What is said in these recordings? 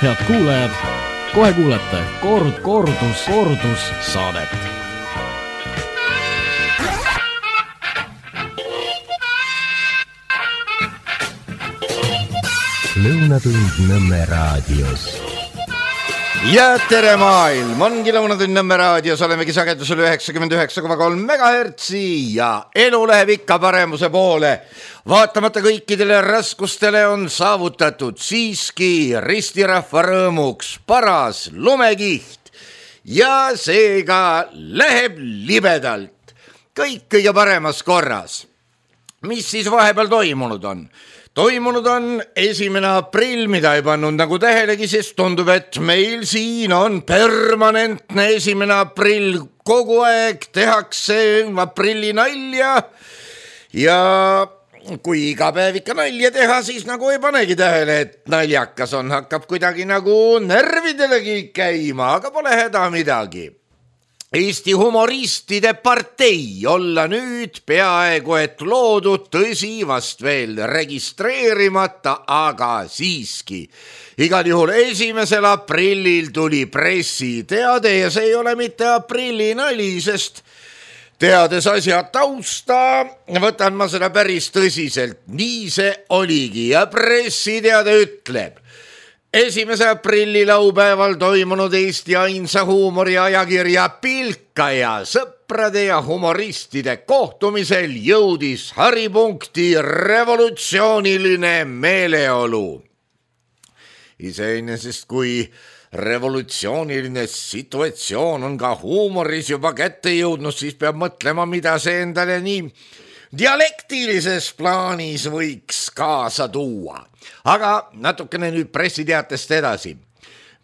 Head kuulajad, kohe kuulete kordus saadet. Lõunatund Nõmme raadios. Ja tere maailm, ongi Lõunatund Nõmme raadios, olemegi sagedusel 99,3 MHz ja elu läheb ikka paremuse poole. Vaatamata kõikidele raskustele on saavutatud siiski ristirahva rõõmuks paras lumekiht ja seega läheb libedalt. Kõik kõige paremas korras. Mis siis vahepeal toimunud on? Toimunud on 1. aprill, mida ei pannud nagu tähelegi, sest tundub, et meil siin on permanentne 1. aprill. Kogu aeg tehakse aprilli nalja ja kui iga päev ikka nalja teha, siis nagu ei panegi tähele, et naljakas on, hakkab kuidagi nagu nervidelegi käima, aga pole häda midagi. Eesti humoristide partei olla nüüd peaaegu et loodud, tõsi vast veel registreerimata, aga siiski. Igal juhul 1. aprillil tuli pressiteade ja see ei ole mitte aprilli nali, sest teades asja tausta, võtan ma seda päris tõsiselt. Nii see oligi ja pressiteade ütleb. 1. aprilli laupäeval toimunud Eesti ainsa huumoriajakirja Pilkaja sõprade ja humoristide kohtumisel jõudis haripunkti revolutsiooniline meeleolu. Iseenesest kui revolutsiooniline situatsioon on ka huumoris juba kätte jõudnud, siis peab mõtlema, mida see endale nii dialektilises plaanis võiks kaasa tuua. Aga natukene nüüd pressiteatest edasi.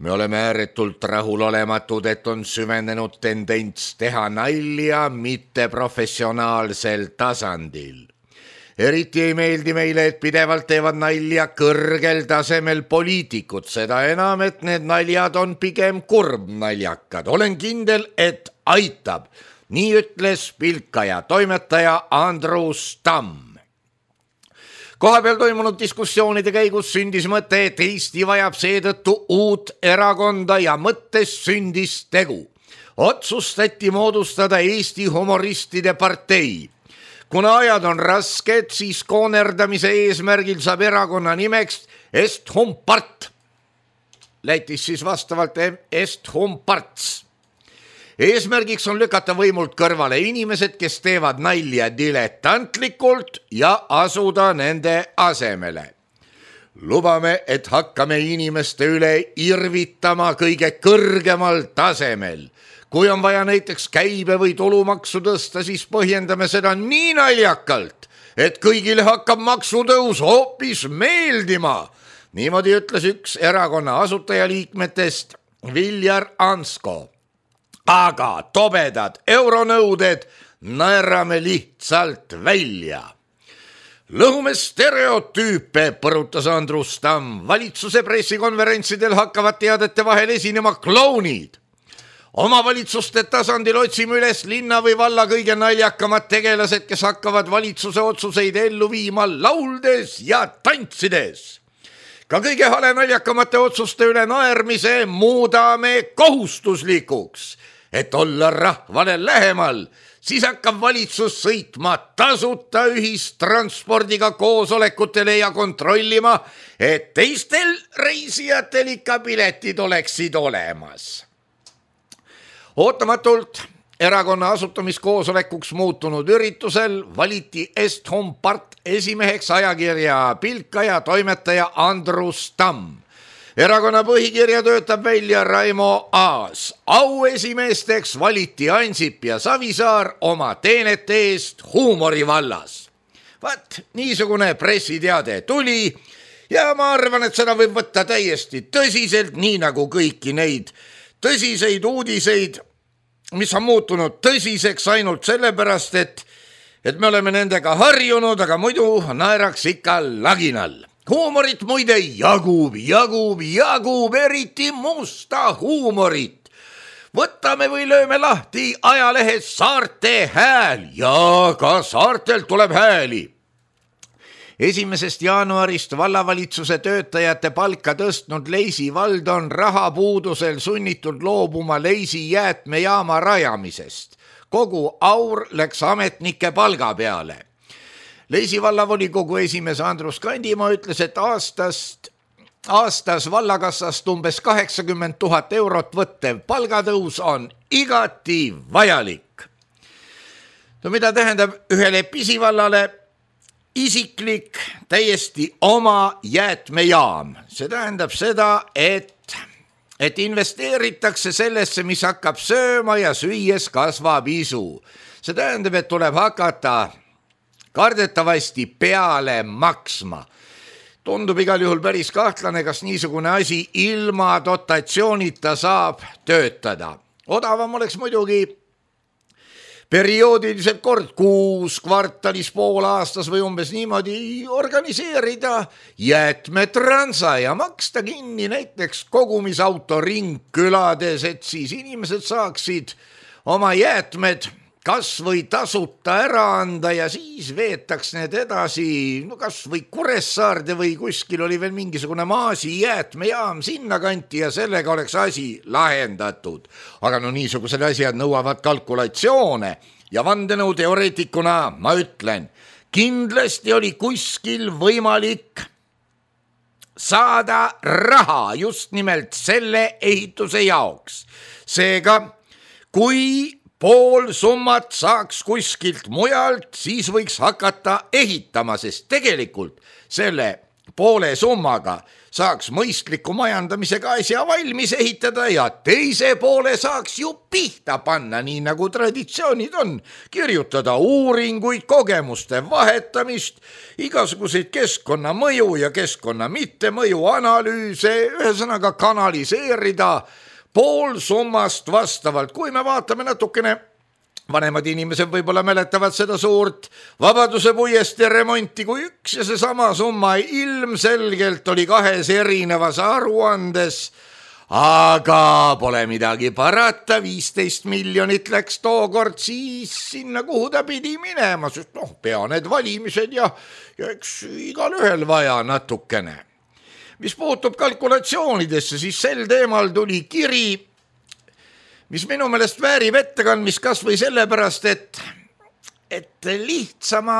Me oleme ääretult rahulolematud, et on süvenenud tendents teha nalja mitte professionaalsel tasandil. Eriti ei meeldi meile, et pidevalt teevad nalja kõrgel tasemel poliitikud, seda enam, et need naljad on pigem kurbnaljakad. Olen kindel, et aitab. Nii ütles Pilkaja toimetaja Andrus Tamm. Kohapeal toimunud diskussioonide käigus sündis mõte, et Eesti vajab seetõttu uut erakonda ja mõttes sündis tegu. Otsustati moodustada Eesti humoristide partei. Kuna ajad on rasked, siis koonerdamise eesmärgil saab erakonna nimeks Est-Hum-Part. Lätis siis vastavalt Est-Hum-Parts. Eesmärgiks on lükata võimult kõrvale inimesed, kes teevad nalja diletantlikult ja asuda nende asemele. Lubame, et hakkame inimeste üle irvitama kõige kõrgemal tasemel. Kui on vaja näiteks käibe või tulumaksu tõsta, siis põhjendame seda nii naljakalt, et kõigile hakkab maksutõus hoopis meeldima. Niimoodi ütles üks erakonna asutajaliikmetest Viljar Ansko. Aga tobedad euronõuded naerame lihtsalt välja. Lõhume stereotüüpe, põrutas Andrus Tamm. Valitsuse pressikonverentsidel hakkavad teadete vahel esinema klounid. Omavalitsuste tasandil otsime üles linna või valla kõige naljakamad tegelased, kes hakkavad valitsuse otsuseid ellu viima lauldes ja tantsides. Ka kõige hale naljakamate otsuste üle naermise muudame kohustuslikuks. Et olla rahvale lähemal, siis hakkab valitsus sõitma tasuta ühistranspordiga koosolekutele ja kontrollima, et teistel reisijatel ikka piletid oleksid olemas. Ootamatult erakonna asutamiskoosolekuks muutunud üritusel valiti Est-Hum-Part esimeheks ajakirja Pilkaja toimetaja Andrus Tamm. Erakonna põhikirja töötab välja Raimo Aas. Auesimeesteks valiti Ansip ja Savisaar oma teenete eest huumori vallas. Vaat, niisugune pressiteade tuli ja ma arvan, et seda võib võtta täiesti tõsiselt, nii nagu kõiki neid tõsiseid uudiseid, mis on muutunud tõsiseks ainult sellepärast, et me oleme nendega harjunud, aga muidu naeraks ikka laginal. Huumorit muide jagub, eriti musta huumorit. Võtame või lööme lahti ajalehes Saarte Hääl ja ka saartelt tuleb hääli. 1. jaanuarist vallavalitsuse töötajate palka tõstnud Leisi vald on rahapuudusel sunnitud loobuma Leisi jäätmejaama rajamisest. Kogu aur läks ametnike palga peale. Leisi vallavolikogu esimees Andrus Kandimaa ütles, et aastas vallakassast umbes 80 000 eurot võttev palgatõus on igati vajalik. No mida tähendab ühele pisivallale isiklik täiesti oma jäätmejaam? See tähendab seda, et investeeritakse sellesse, mis hakkab sööma ja süües kasvab isu. See tähendab, et tuleb hakata kardetavasti peale maksma. Tundub igal juhul päris kahtlane, kas niisugune asi ilma dotatsioonita saab töötada. Odavam oleks muidugi perioodiliselt kord kuus, kvartalis, pool aastas või umbes niimoodi organiseerida jäätmetransa ja maksta kinni näiteks kogumisauto ringkülades, et siis inimesed saaksid oma jäätmed kas või tasuta ära anda ja siis veetaks need edasi, no kas või Kuressaarde või kuskil oli veel mingisugune maasi jäätmejaam sinna kanti ja sellega oleks asi lahendatud. Aga no niisugused asjad nõuavad kalkulatsioone ja vandenõuteoreetikuna ma ütlen, kindlasti oli kuskil võimalik saada raha just nimelt selle ehituse jaoks. Seega, kui pool summat saaks kuskilt mujalt, siis võiks hakata ehitama, sest tegelikult selle poole summaga saaks mõistliku majandamisega asja valmis ehitada ja teise poole saaks ju pihta panna, nii nagu traditsioonid on. Kirjutada uuringuid, kogemuste vahetamist, igasuguseid keskkonnamõju ja keskkonna mittemõju analüüse, ühesõnaga kanaliseerida pool summast vastavalt. Kui me vaatame natukene, vanemad inimesed võib-olla mäletavad seda suurt Vabaduse puiestee remonti, kui üks ja seesama summa ilmselgelt oli kahes erinevas aruandes, aga pole midagi parata, 15 miljonit läks tookord siis sinna, kuhu ta pidi minema, sest pea need valimised ja eks igal ühel vaja natukene. Mis puutub kalkulatsioonidesse, siis sel teemal tuli kiri, mis minu meelest väärib ettekandmist kas või sellepärast, et lihtsama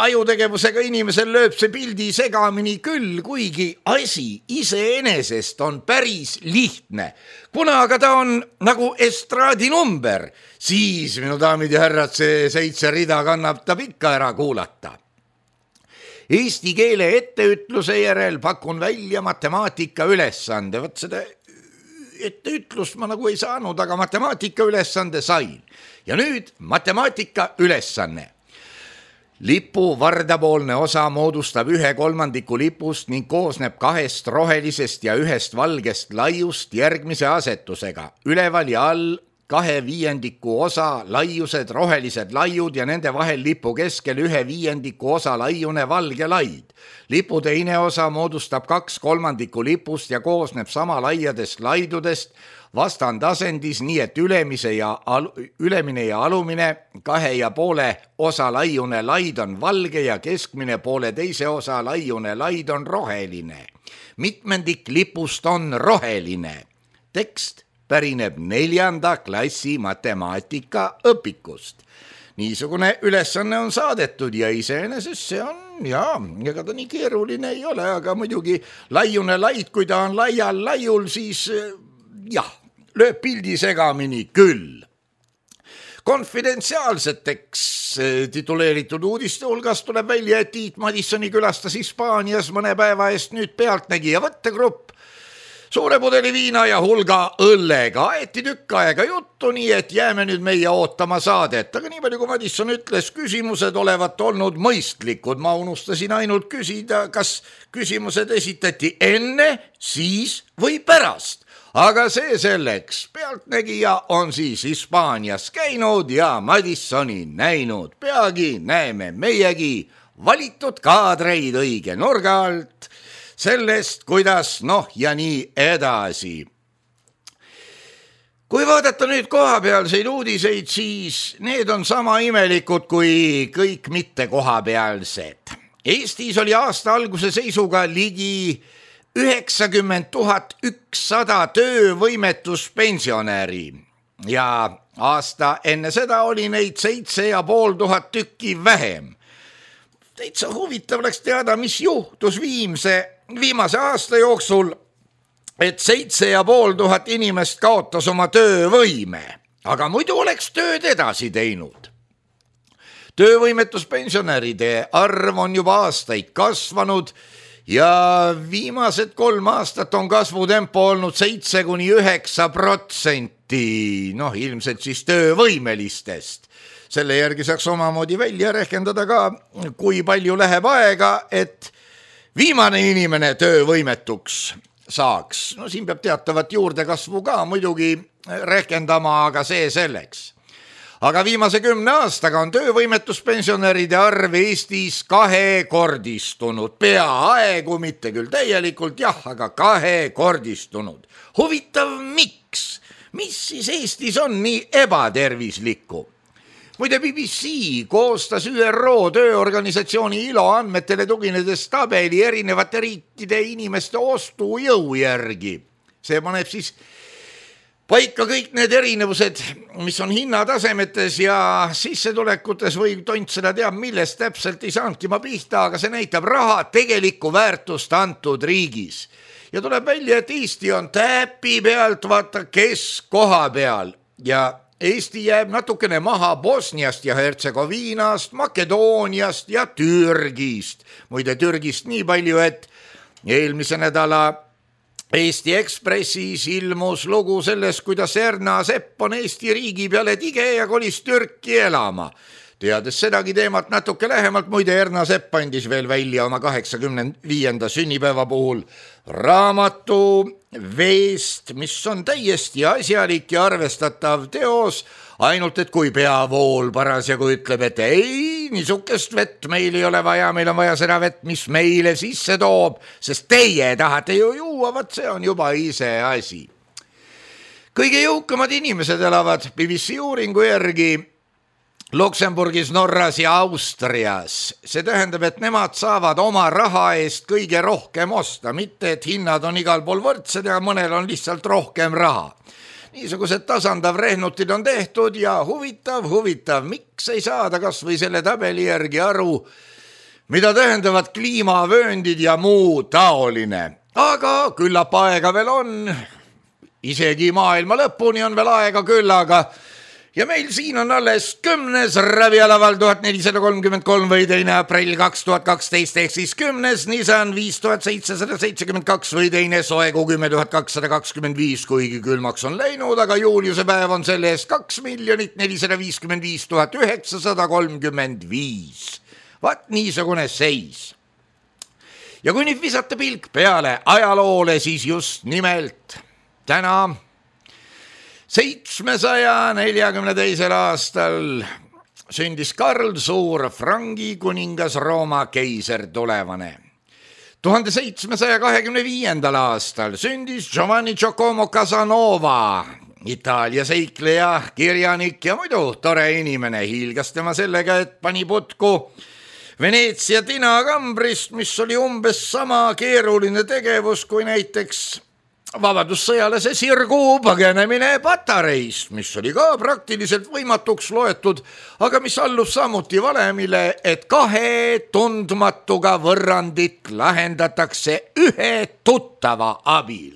ajutegevusega inimesel lööb see pildi segamini küll, kuigi asi iseenesest on päris lihtne. Kuna aga ta on nagu estraadinumber, siis minu daamid ja härrad, see 7 rida kannatab ikka ära kuulata. Eesti keele etteütluse järel pakun välja matemaatika ülesande. Võt seda etteütlust ma nagu ei saanud, aga matemaatika ülesande sain. Ja nüüd matemaatika ülesanne. Lipu vardapoolne osa moodustab 1/3 lipust ning koosneb 2 rohelisest ja 1 valgest laiust järgmise asetusega. Üleval ja all 2/5 osa laiused rohelised laiud ja nende vahel lipu keskel 1/5 osa laiune valge laid. Lipu teine osa moodustab 2/3 lipust ja koosneb sama laiadest laidudest vastandasendis, nii et ülemine ja alumine 2,5 osa laiune laid on valge ja keskmine poole teise osa laiune laid on roheline. Mitmendik lipust on roheline. Tekst pärineb 4. klassi matemaatika õpikust. Niisugune ülesanne on saadetud ja iseenesest see on, ega ta nii keeruline ei ole, aga muidugi laiune laid, kui ta on laial laiul, siis lööb pildi segamini küll. Konfidentsiaalseteks tituleeritud uudiste hulgas tuleb välja, et Tiit Madissoni külastas Hispaanias mõne päeva eest nüüd Pealtnägija võttegrupp. Suure pudeli viina ja hulga õllega aeti tükk aega juttu, nii et jääme nüüd meie ootama saadet. Aga nii palju, kui Madisson ütles, küsimused olevat olnud mõistlikud. Ma unustasin ainult küsida, kas küsimused esitati enne, siis või pärast. Aga see selleks. Pealtnägija on siis Hispaanias käinud ja Madissoni näinud. Peagi näeme meiegi valitud kaadreid õige nurga alt. Sellest, kuidas ja nii edasi. Kui vaadata nüüd kohapealseid uudiseid, siis need on sama imelikud kui kõik mitte kohapealsed. Eestis oli aasta alguse seisuga ligi 90 100 töövõimetuspensionäri ja aasta enne seda oli neid 7500 tükki vähem. Täitsa huvitav oleks teada, mis juhtus viimase aasta jooksul, et 7500 inimest kaotas oma töövõime, aga muidu oleks tööd edasi teinud. Töövõimetuspensionäride arv on juba aastaid kasvanud ja viimased 3 aastat on kasvutempo olnud 7–9%, ilmselt siis töövõimelistest. Selle järgi saaks omamoodi välja rehkendada ka, kui palju läheb aega, et viimane inimene töövõimetuks saaks. Siin peab teatavat juurdekasvu ka muidugi rehkendama, aga see selleks. Aga viimase 10 aastaga on töövõimetuspensionäride arv Eestis 2-kordistunud. Peaaegu, mitte küll täielikult, aga 2-kordistunud. Huvitav, miks? Mis siis Eestis on nii ebatervislikku? Muide, BBC koostas ÜRO tööorganisatsiooni ILO andmetele tuginedes tabeli erinevate riikide inimeste ostujõu järgi. See paneb siis paika kõik need erinevused, mis on hinnatasemetes ja sissetulekutes või tont seda teab, millest täpselt ei saanudki ma pihta, aga see näitab raha tegelikku väärtust antud riigis. Ja tuleb välja, et Eesti on täpi pealt, vaata keskkoha peal ja Eesti jääb natukene maha Bosniast ja Hertsegoviinast, Makedooniast ja Türgist. Muide Türgist nii palju, et eelmise nädala Eesti Ekspressis ilmus lugu sellest, kuidas Erna Sepp on Eesti riigi peale tige ja kolis Türki elama. Teades sedagi teemat natuke lähemalt, muide Erna Sepp andis veel välja oma 85. sünnipäeva puhul raamatu Veest, mis on täiesti asjalik ja arvestatav teos, ainult et kui peavool parasjagu ütleb, et ei, niisugust vett meil ei ole vaja, meil on vaja seda vett, mis meile sisse toob, sest teie tahate ju juua, vaat see on juba ise asi. Kõige jõukamad inimesed elavad BBC uuringu järgi Luksemburgis, Norras ja Austrias. See tähendab, et nemad saavad oma raha eest kõige rohkem osta, mitte et hinnad on igal pool võrdsed ja mõnel on lihtsalt rohkem raha. Niisugused tasandav rehnutid on tehtud ja huvitav, miks ei saada kas või selle tabeli järgi aru, mida tähendavad kliimavööndid ja muu taoline. Aga küllap aega veel on, isegi maailma lõpuni on veel aega küllaga. Ja meil siin on alles 10. Ravialaval 1433 või 2. aprill 2012 ehk siis 10. Nissan 5772 või 2. Soegu 10225, kuigi külmaks on läinud, aga juuliuse päev on selle eest 2 455 935. Vaat niisugune seis. Ja kui nüüd visata pilk peale ajaloole, siis just nimelt täna 742. aastal sündis Karl Suur, Frangi kuningas, Rooma keiser tulevane. 1725. aastal sündis Giovanni Giacomo Casanova, Itaalia seikleja, kirjanik ja muidu tore inimene. Hiilgas tema sellega, et pani putku Veneetsia tinakambrist, mis oli umbes sama keeruline tegevus kui näiteks vabadussõjalase sirgu põgenemine patareist, mis oli ka praktiliselt võimatuks loetud, aga mis allus samuti valemile, et 2 tundmatuga võrrandit lahendatakse 1 tuttava abil.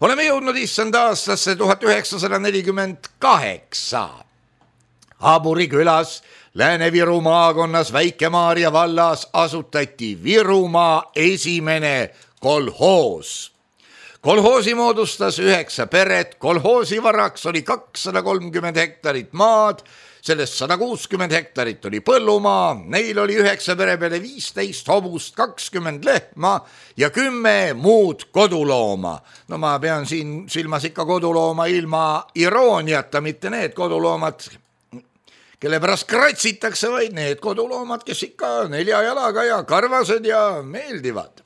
Oleme jõudnud issand aastasse 1948. Haaburi külas Lääne-Viru maakonnas Väike-Maarja vallas asutati Virumaa esimene kolhoos. Kolhoosi moodustas 9 peret, kolhoosi varaks oli 230 hektarit maad, sellest 160 hektarit oli põllumaa, neil oli 9 pere peale 15 hobust, 20 lehma ja 10 muud kodulooma. No ma pean siin silmas ikka kodulooma ilma irooniata, mitte need koduloomad, kelle pärast kratsitakse, vaid need koduloomad, kes ikka 4 jalaga ja karvased ja meeldivad.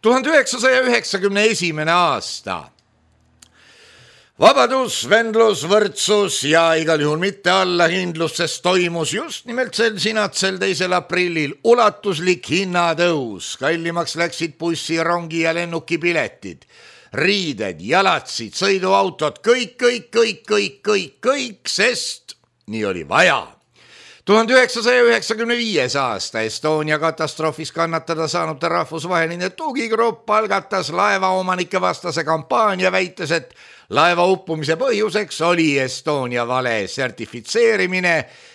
1991. aasta. Vabadus, vendlus, võrdsus ja igal juhul mitte allahindlus, sest toimus just nimelt sel sinatsel 2. aprillil ulatuslik hinnatõus. Kallimaks läksid bussi, rongi ja lennuki piletid, riided, jalatsid, sõiduautod, kõik, sest nii oli vaja. 1995. aasta Estonia katastroofis kannatada saanud rahvusvaheline tugigrupp algatas laevaomanike vastase kampaania, väites, et laeva uppumise põhjuseks oli Estonia vale sertifitseerimine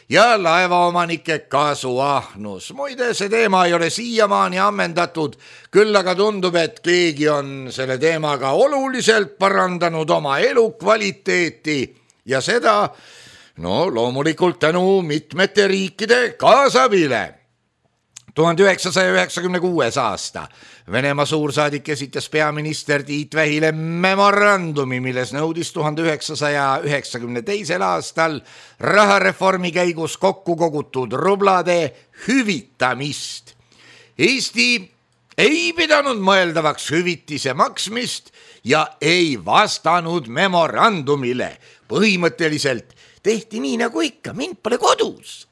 ja laevaomanike kasuahnus. Muide, see teema ei ole siiamaani ammendatud, küll aga tundub, et keegi on selle teemaga oluliselt parandanud oma elukvaliteeti ja seda loomulikult tänu mitmete riikide kaasabile. 1996. aasta Venemaa suursaadik esitas peaminister Tiit Vähile memorandumi, milles nõudis 1992. aastal rahareformi käigus kokku kogutud rublade hüvitamist. Eesti ei pidanud mõeldavaks hüvitise maksmist ja ei vastanud memorandumile. Põhimõtteliselt tehti nii nagu ikka, mind pole kodus.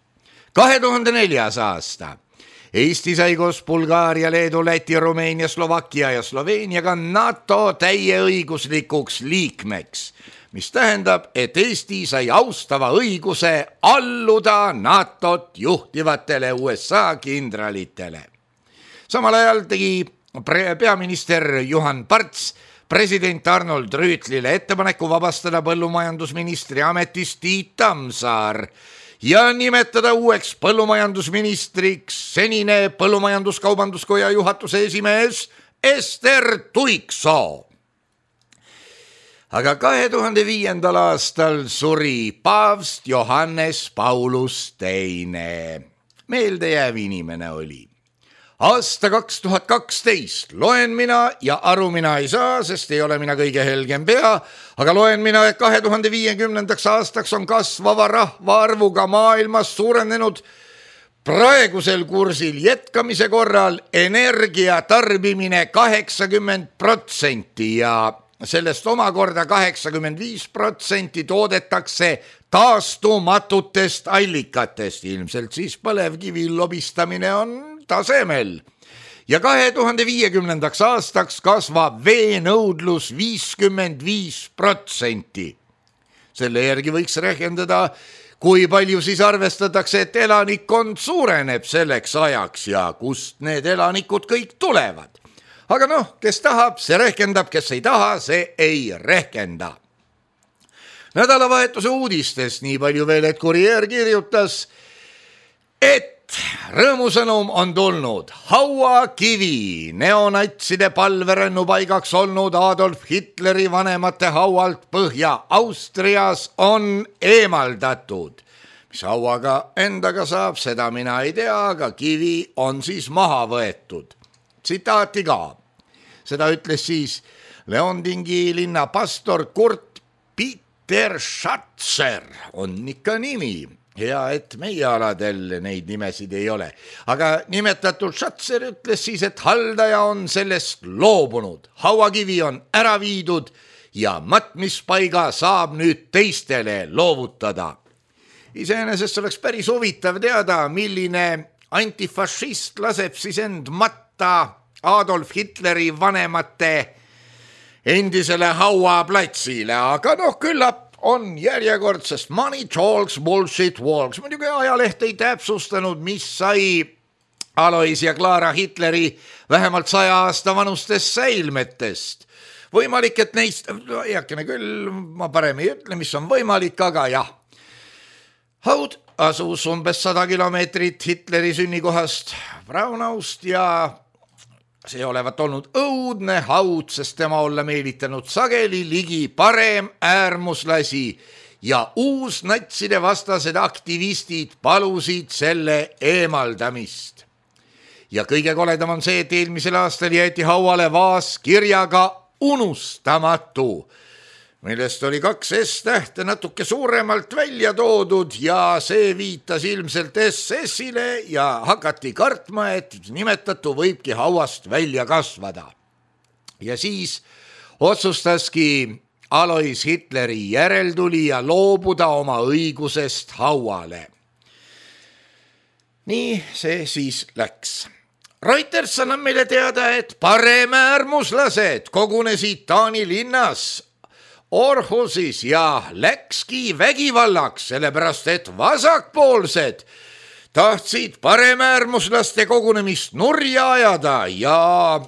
2004. aasta Eesti sai koos Bulgaaria, Leedu, Läti, Rumeenia, Slovakkia ja Sloveeniaga NATO täieõiguslikuks liikmeks, mis tähendab, et Eesti sai austava õiguse alluda NATOt juhtivatele USA kindralitele. Samal ajal tegi peaminister Juhan Parts president Arnold Rüütlile ettepaneku vabastada põllumajandusministri ametist Tiit Tammsaar ja nimetada uueks põllumajandusministriks senine Põllumajandus-Kaubanduskoja juhatuse esimees Ester Tuiksoo. Aga 2005. aastal suri paavst Johannes Paulus II. Meeldejääv inimene oli. Aasta 2012 loen mina ja aru mina ei saa, sest ei ole mina kõige helgem pea, aga loen mina, et 2050. aastaks on kasvava rahvaarvuga maailmas suurenenud praegusel kursil jätkamise korral energia tarbimine 80% ja sellest omakorda 85% toodetakse taastumatutest allikatest, ilmselt siis põlevkivi lobistamine on tasemel. Ja 2050. aastaks kasvab veenõudlus 55%. Selle järgi võiks rehkendada, kui palju siis arvestatakse, et elanikkond suureneb selleks ajaks ja kust need elanikud kõik tulevad. Aga kes tahab, see rehkendab, kes ei taha, see ei rehkenda. Nädalavahetuse uudistest nii palju veel, et Kurier kirjutas, et rõõmusõnum on tulnud. Hauakivi, neonatside palverännu paigaks olnud Adolf Hitleri vanemate haualt Põhja-Austrias on eemaldatud. Mis hauaga endaga saab, seda mina ei tea, aga kivi on siis maha võetud. Tsitaati ka. Seda ütles siis Leondingi linna pastor Kurt Peter Schatzer, on ikka nimi. Hea, et meie aladel neid nimesid ei ole. Aga nimetatud Schatzer ütles siis, et haldaja on sellest loobunud. Hauakivi on ära viidud ja matmispaiga saab nüüd teistele loovutada. Iseenesest oleks päris huvitav teada, milline antifašist laseb siis end matta Adolf Hitleri vanemate endisele hauaplatsile, aga küllap on järjekordsest money talks, bullshit walks. Muidugi ajaleht ei täpsustanud, mis sai Alois ja Clara Hitleri vähemalt 100 aasta vanustest säilmetest. Võimalik, et neist, heakene küll, ma parem ei ütle, mis on võimalik, aga jah. Haud asus umbes 100 kilomeetrit Hitleri sünnikohast Braunaust ja see olevat olnud õudne haud, sest tema olla meelitanud sageli ligi parem äärmuslasi ja uusnatside vastased aktivistid palusid selle eemaldamist. Ja kõige koledam on see, et eelmisel aastal jäeti hauale vaas kirjaga unustamatu, millest oli 2 S-tähte natuke suuremalt välja toodud ja see viitas ilmselt SS-ile ja hakati kartma, et nimetatu võibki hauast välja kasvada. Ja siis otsustaski Alois Hitleri järeltulija loobuda oma õigusest hauale. Nii see siis läks. Reuters annab meile teada, et paremäärmuslased kogunesid Taani linnas Orhusis ja läkski vägivallaks, sellepärast et vasakpoolsed tahtsid paremäärmuslaste kogunemist nurja ajada ja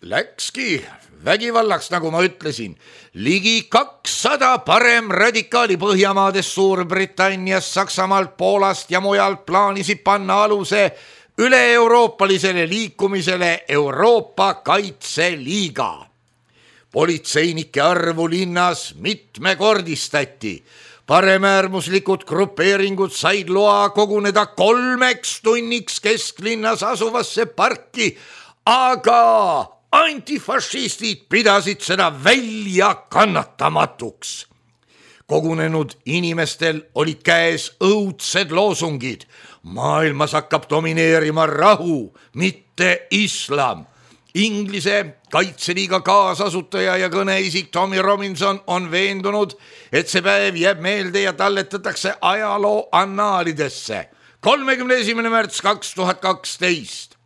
läkski vägivallaks, nagu ma ütlesin. Ligi 200 paremradikaali Põhjamaadest, Suurbritanniast, Saksamaalt, Poolast ja mujalt plaanisid panna aluse üle-euroopalisele liikumisele Euroopa Kaitseliiga. Politseinike arvu linnas mitmekordistati. Paremäärmuslikud grupeeringud said loa koguneda 3 tunniks kesklinnas asuvasse parki, aga antifašistid pidasid seda välja kannatamatuks. Kogunenud inimestel olid käes õudsed loosungid. Maailmas hakkab domineerima rahu, mitte islam. Inglise Kaitseliiga kaasasutaja ja kõneisik Tommy Robinson on veendunud, et see päev jääb meelde ja talletatakse ajaloo annaalidesse. 31. märts 2012.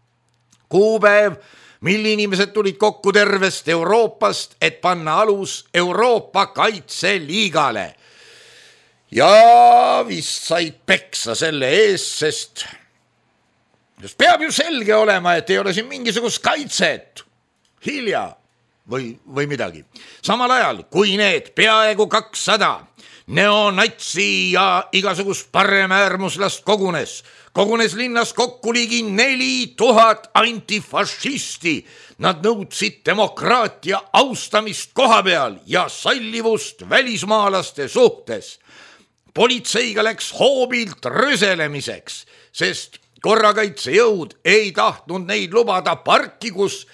Kuupäev, mil inimesed tulid kokku tervest Euroopast, et panna alus Euroopa Kaitseliigale. Ja vist said peksa selle eest, sest peab ju selge olema, et ei ole siin mingisugust kaitset. Hilja või midagi. Samal ajal, kui need peaaegu 200 neonatsi ja igasugust paremäärmuslast kogunes linnas kokku ligi 4000 antifašisti. Nad nõudsid demokraatia austamist kohapeal ja sallivust välismaalaste suhtes. Politseiga läks hoobilt röselemiseks, sest korrakaitsejõud ei tahtnud neid lubada parki, kus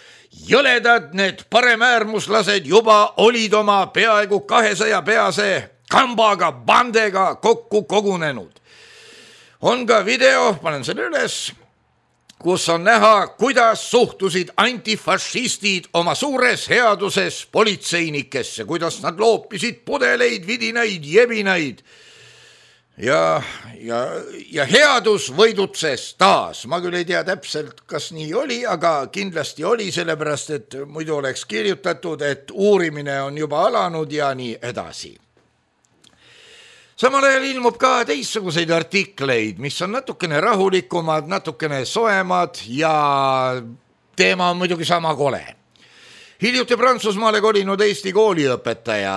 jõledad need paremäärmuslased juba olid oma peaaegu 200 pease kambaga, bandega kokku kogunenud. On ka video, panen selle üles, kus on näha, kuidas suhtusid antifašistid oma suures headuses politseinikesse, kuidas nad loopisid pudeleid, vidinaid, jebinaid. Ja headus võidutses taas. Ma küll ei tea täpselt, kas nii oli, aga kindlasti oli, sellepärast, et muidu oleks kirjutatud, et uurimine on juba alanud ja nii edasi. Samal ajal ilmub ka teistsuguseid artikleid, mis on natukene rahulikumad, natukene soemad ja teema on muidugi sama kole. Hiljuti Prantsusmaale kolinud Eesti kooliõpetaja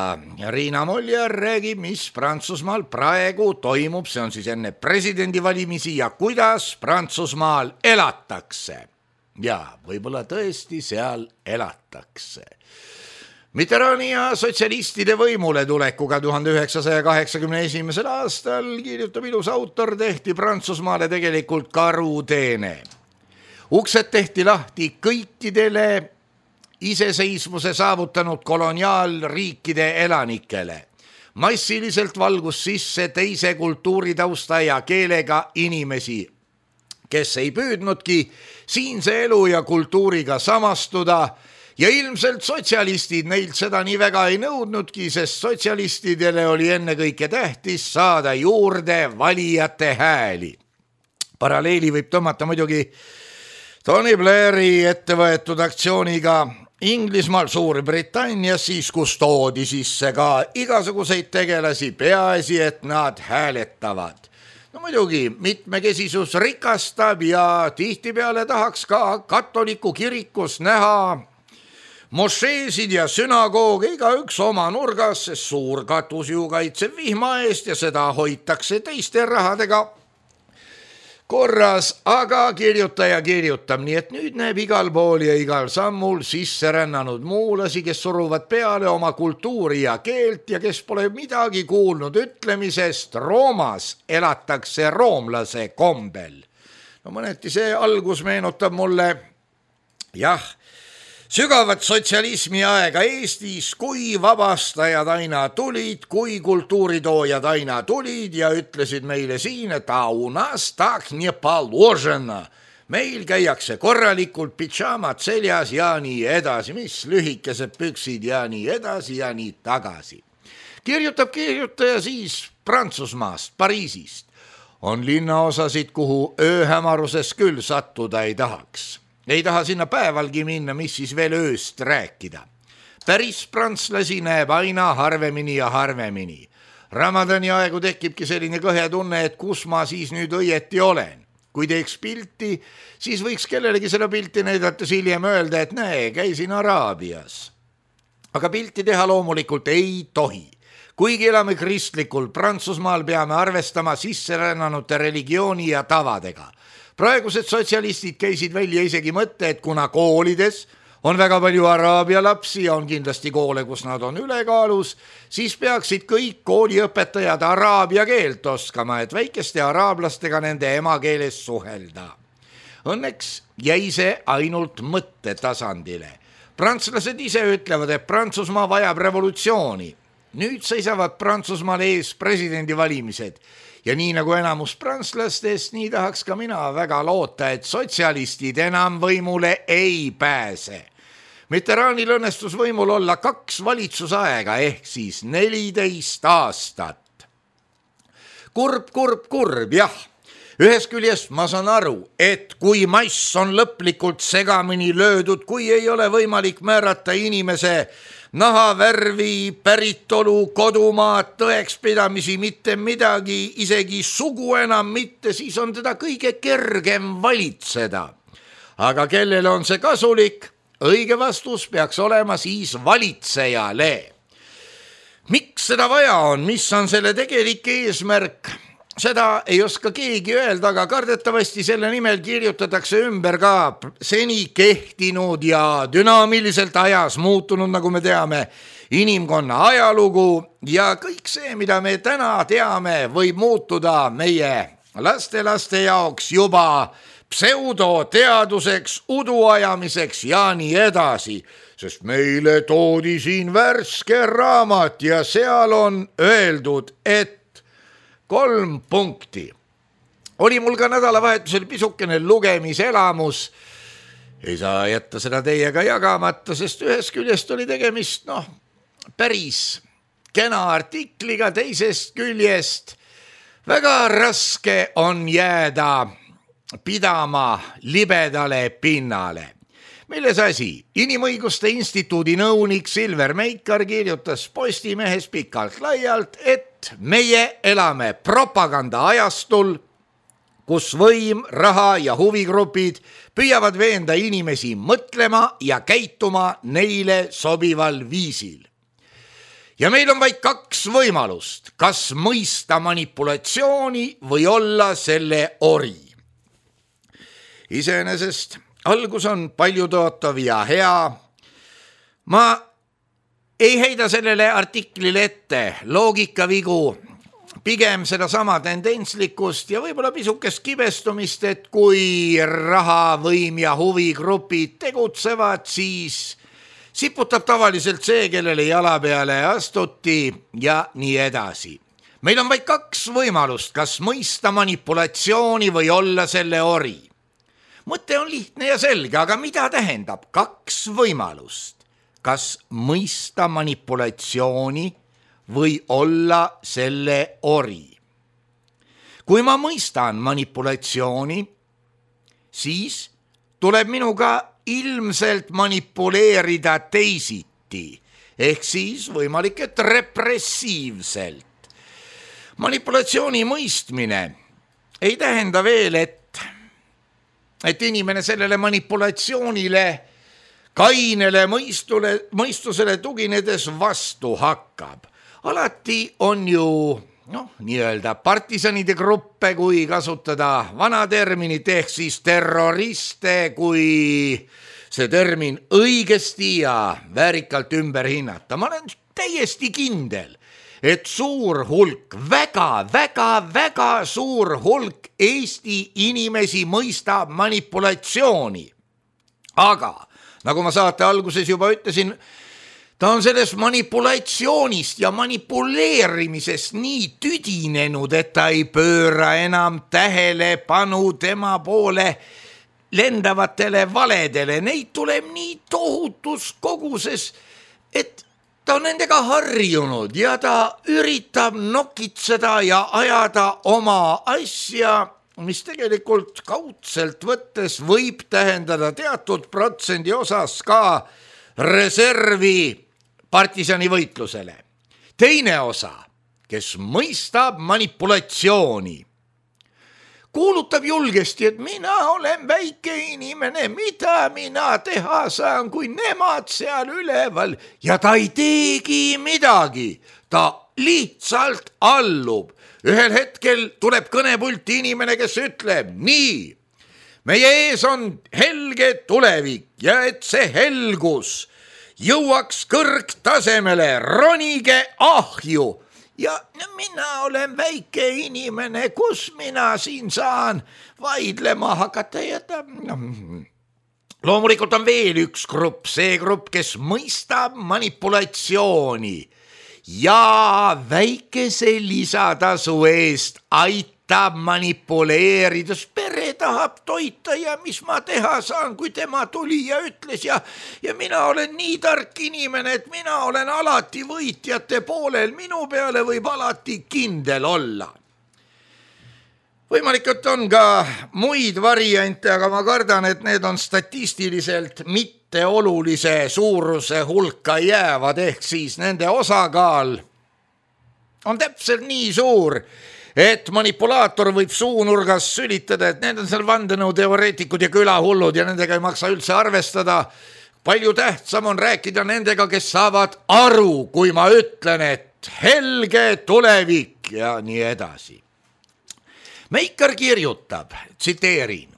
Riina Moljar räägib, mis Prantsusmaal praegu toimub, see on siis enne presidendivalimisi ja kuidas Prantsusmaal elatakse. Ja võib-olla tõesti seal elatakse. Mitterrandi ja sotsialistide võimule tulekuga 1981. aastal, kirjutab ilus autor, tehti Prantsusmaale tegelikult karuteene. Uksed tehti lahti kõikidele iseseisvuse saavutanud koloniaalriikide elanikele. Massiliselt valgus sisse teise kultuuritausta ja keelega inimesi, kes ei püüdnudki siinse elu ja kultuuriga samastuda ja ilmselt sotsialistid neilt seda nii väga ei nõudnudki, sest sotsialistidele oli ennekõike tähtis saada juurde valijate hääli. Paralleeli võib tõmmata muidugi Tony Blairi ettevõetud aktsiooniga Inglismaal, Suurbritannias, siis kus toodi sisse ka igasuguseid tegelasi, peaasi, et nad hääletavad. No muidugi, mitmekesisus rikastab ja tihtipeale tahaks ka katoliku kirikus näha mošeesid ja sünagooge igaüks oma nurgas, sest suur katus ju kaitseb vihma eest ja seda hoitakse teiste rahadega korras, aga kirjutaja kirjutab, nii et nüüd näeb igal pool ja igal sammul sisse rännanud muulasi, kes suruvad peale oma kultuuri ja keelt ja kes pole midagi kuulnud ütlemisest, Roomas elatakse roomlase kombel. No mõneti see algus meenutab mulle, sügavat sotsialismi aega Eestis, kui vabastajad aina tulid, kui kultuuritoojad aina tulid ja ütlesid meile siin, et a u nas tak не положено. meil käiakse korralikult pidžaamad seljas ja nii edasi, mis lühikesed püksid ja nii edasi ja nii tagasi. Kirjutab kirjutaja siis Prantsusmaast, Pariisist. On linnaosasid, kuhu ööhämaruses küll sattuda ei tahaks. Ei taha sinna päevalgi minna, mis siis veel ööst rääkida. Päris prantslasi näeb aina harvemini ja harvemini. Ramadani aegu tekibki selline kõhe tunne, et kus ma siis nüüd õieti olen. Kui teeks pilti, siis võiks kellelegi selle pilti näidates hiljem öelda, et näe, käisin Araabias. Aga pilti teha loomulikult ei tohi. Kuigi elame kristlikul Prantsusmaal, peame arvestama sisserännanute religiooni ja tavadega. Praegused sotsialistid käisid välja isegi mõtte, et kuna koolides on väga palju araabia lapsi ja on kindlasti koole, kus nad on ülekaalus, siis peaksid kõik kooliõpetajad araabia keelt oskama, et väikeste araablastega nende emakeeles suhelda. Õnneks jäi see ainult mõttetasandile. Prantslased ise ütlevad, et Prantsusmaa vajab revolutsiooni. Nüüd seisavad Prantsusmaal ees presidendivalimised ja nii nagu enamus prantslastest, nii tahaks ka mina väga loota, et sotsialistid enam võimule ei pääse. Mitterrandil õnnestus võimul olla 2 valitsusaega ehk siis 14 aastat. Kurb, jah. Ühest küljest ma saan aru, et kui mass on lõplikult segamini löödud, kui ei ole võimalik määrata inimese nahavärvi, päritolu, kodumaad, tõekspidamisi, mitte midagi, isegi sugu enam mitte, siis on teda kõige kergem valitseda. Aga kellele on see kasulik? Õige vastus peaks olema siis valitsejale. Miks seda vaja on? Mis on selle tegelik eesmärk? Seda ei oska keegi öelda, aga kardetavasti selle nimel kirjutatakse ümber ka seni kehtinud ja dünaamiliselt ajas muutunud, nagu me teame, inimkonna ajalugu ja kõik see, mida me täna teame, võib muutuda meie lastelaste jaoks juba pseudoteaduseks, uduajamiseks ja nii edasi, sest meile toodi siin värske raamat ja seal on öeldud, et 3 punkti. Oli mul ka nädalavahetusel pisukene lugemiselamus. Ei saa jätta seda teiega jagamata, sest ühest küljest oli tegemist päris kena artikliga, teisest küljest väga raske on jääda pidama libedale pinnale. Milles asi? Inimõiguste instituudi nõunik Silver Meikar kirjutas Postimehes pikalt laialt, et meie elame propaganda ajastul, kus võim, raha ja huvigrupid püüavad veenda inimesi mõtlema ja käituma neile sobival viisil. Ja meil on vaid 2 võimalust, kas mõista manipulatsiooni või olla selle ori. Iseenesest algus on paljutootav ja hea. Ma ei heida sellele artiklile ette loogikavigu, pigem sedasama tendentslikkust ja võib-olla pisukest kibestumist, et kui raha, võim ja huvigrupid tegutsevad, siis siputab tavaliselt see, kellele jala peale astuti ja nii edasi. Meil on vaid 2 võimalust, kas mõista manipulatsiooni või olla selle ori. Mõte on lihtne ja selge, aga mida tähendab 2 võimalust? Kas mõista manipulatsiooni või olla selle ori? Kui ma mõistan manipulatsiooni, siis tuleb minuga ilmselt manipuleerida teisiti, ehk siis võimalik, et repressiivselt. Manipulatsiooni mõistmine ei tähenda veel, et inimene sellele manipulatsioonile, kainele mõistusele tuginedes vastu hakkab. Alati on ju nii-öelda partisanide gruppe, kui kasutada vana terminit, ehk siis terroriste, kui see termin õigesti ja väärikalt ümber hinnata. Ma olen täiesti kindel, et suur hulk, väga suur hulk Eesti inimesi mõistab manipulatsiooni. Aga, nagu ma saate alguses juba ütlesin, ta on sellest manipulatsioonist ja manipuleerimisest nii tüdinenud, et ta ei pööra enam tähelepanu tema poole lendavatele valedele, neid tuleb nii tohutus koguses, et ta on nendega harjunud ja ta üritab nokitseda ja ajada oma asja, mis tegelikult kaudselt võttes võib tähendada teatud protsendi osas ka reservi partisani võitlusele. Teine osa, kes mõistab manipulatsiooni, kuulutab julgesti, et mina olen väike inimene, mida mina teha saan, kui nemad seal üleval, ja ta ei teegi midagi, ta lihtsalt allub. Ühel hetkel tuleb kõnepulti inimene, kes ütleb, nii, meie ees on helge tulevik ja et see helgus jõuaks kõrgtasemele, ronige ahju. Ja mina olen väike inimene, kus mina siin saan vaidlema hakata ja loomulikult on veel üks grupp, see grupp, kes mõistab manipulatsiooni ja väikese lisatasu eest aitab manipuleerida, pere tahab toita ja mis ma teha saan, kui tema tuli ja ütles ja mina olen nii tark inimene, et mina olen alati võitjate poolel, minu peale võib alati kindel olla. Võimalik, et on ka muid variante, aga ma kardan, et need on statistiliselt mitte olulise suuruse hulka jäävad, ehk siis nende osakaal on täpselt nii suur, et manipulaator võib suunurgas sülitada, et need on seal vandenõuteoreetikud ja külahullud ja nendega ei maksa üldse arvestada. Palju tähtsam on rääkida nendega, kes saavad aru, kui ma ütlen, et helge tulevik ja nii edasi. Meikar kirjutab, tsiteerin,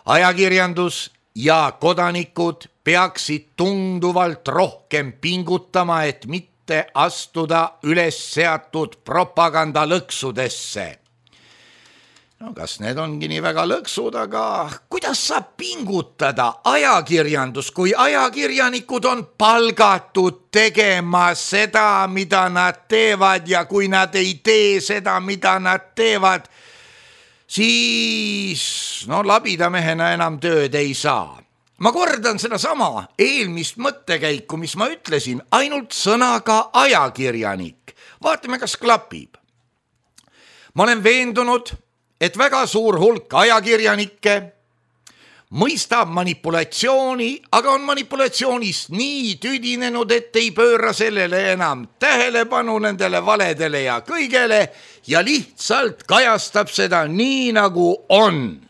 ajakirjandus ja kodanikud peaksid tunduvalt rohkem pingutama, et mitte astuda üles seatud propagandalõksudesse. No kas need ongi nii väga lõksud, aga kuidas saab pingutada ajakirjandus, kui ajakirjanikud on palgatud tegema seda, mida nad teevad ja kui nad ei tee seda, mida nad teevad, siis labidamehena enam tööd ei saa. Ma kordan sedasama eelmist mõttekäiku, mis ma ütlesin, ainult sõnaga ajakirjanik. Vaatame, kas klapib. Ma olen veendunud, et väga suur hulk ajakirjanikke mõistab manipulatsiooni, aga on manipulatsioonist nii tüdinenud, et ei pööra sellele enam tähelepanu nendele valedele ja kõigele ja lihtsalt kajastab seda nii, nagu on.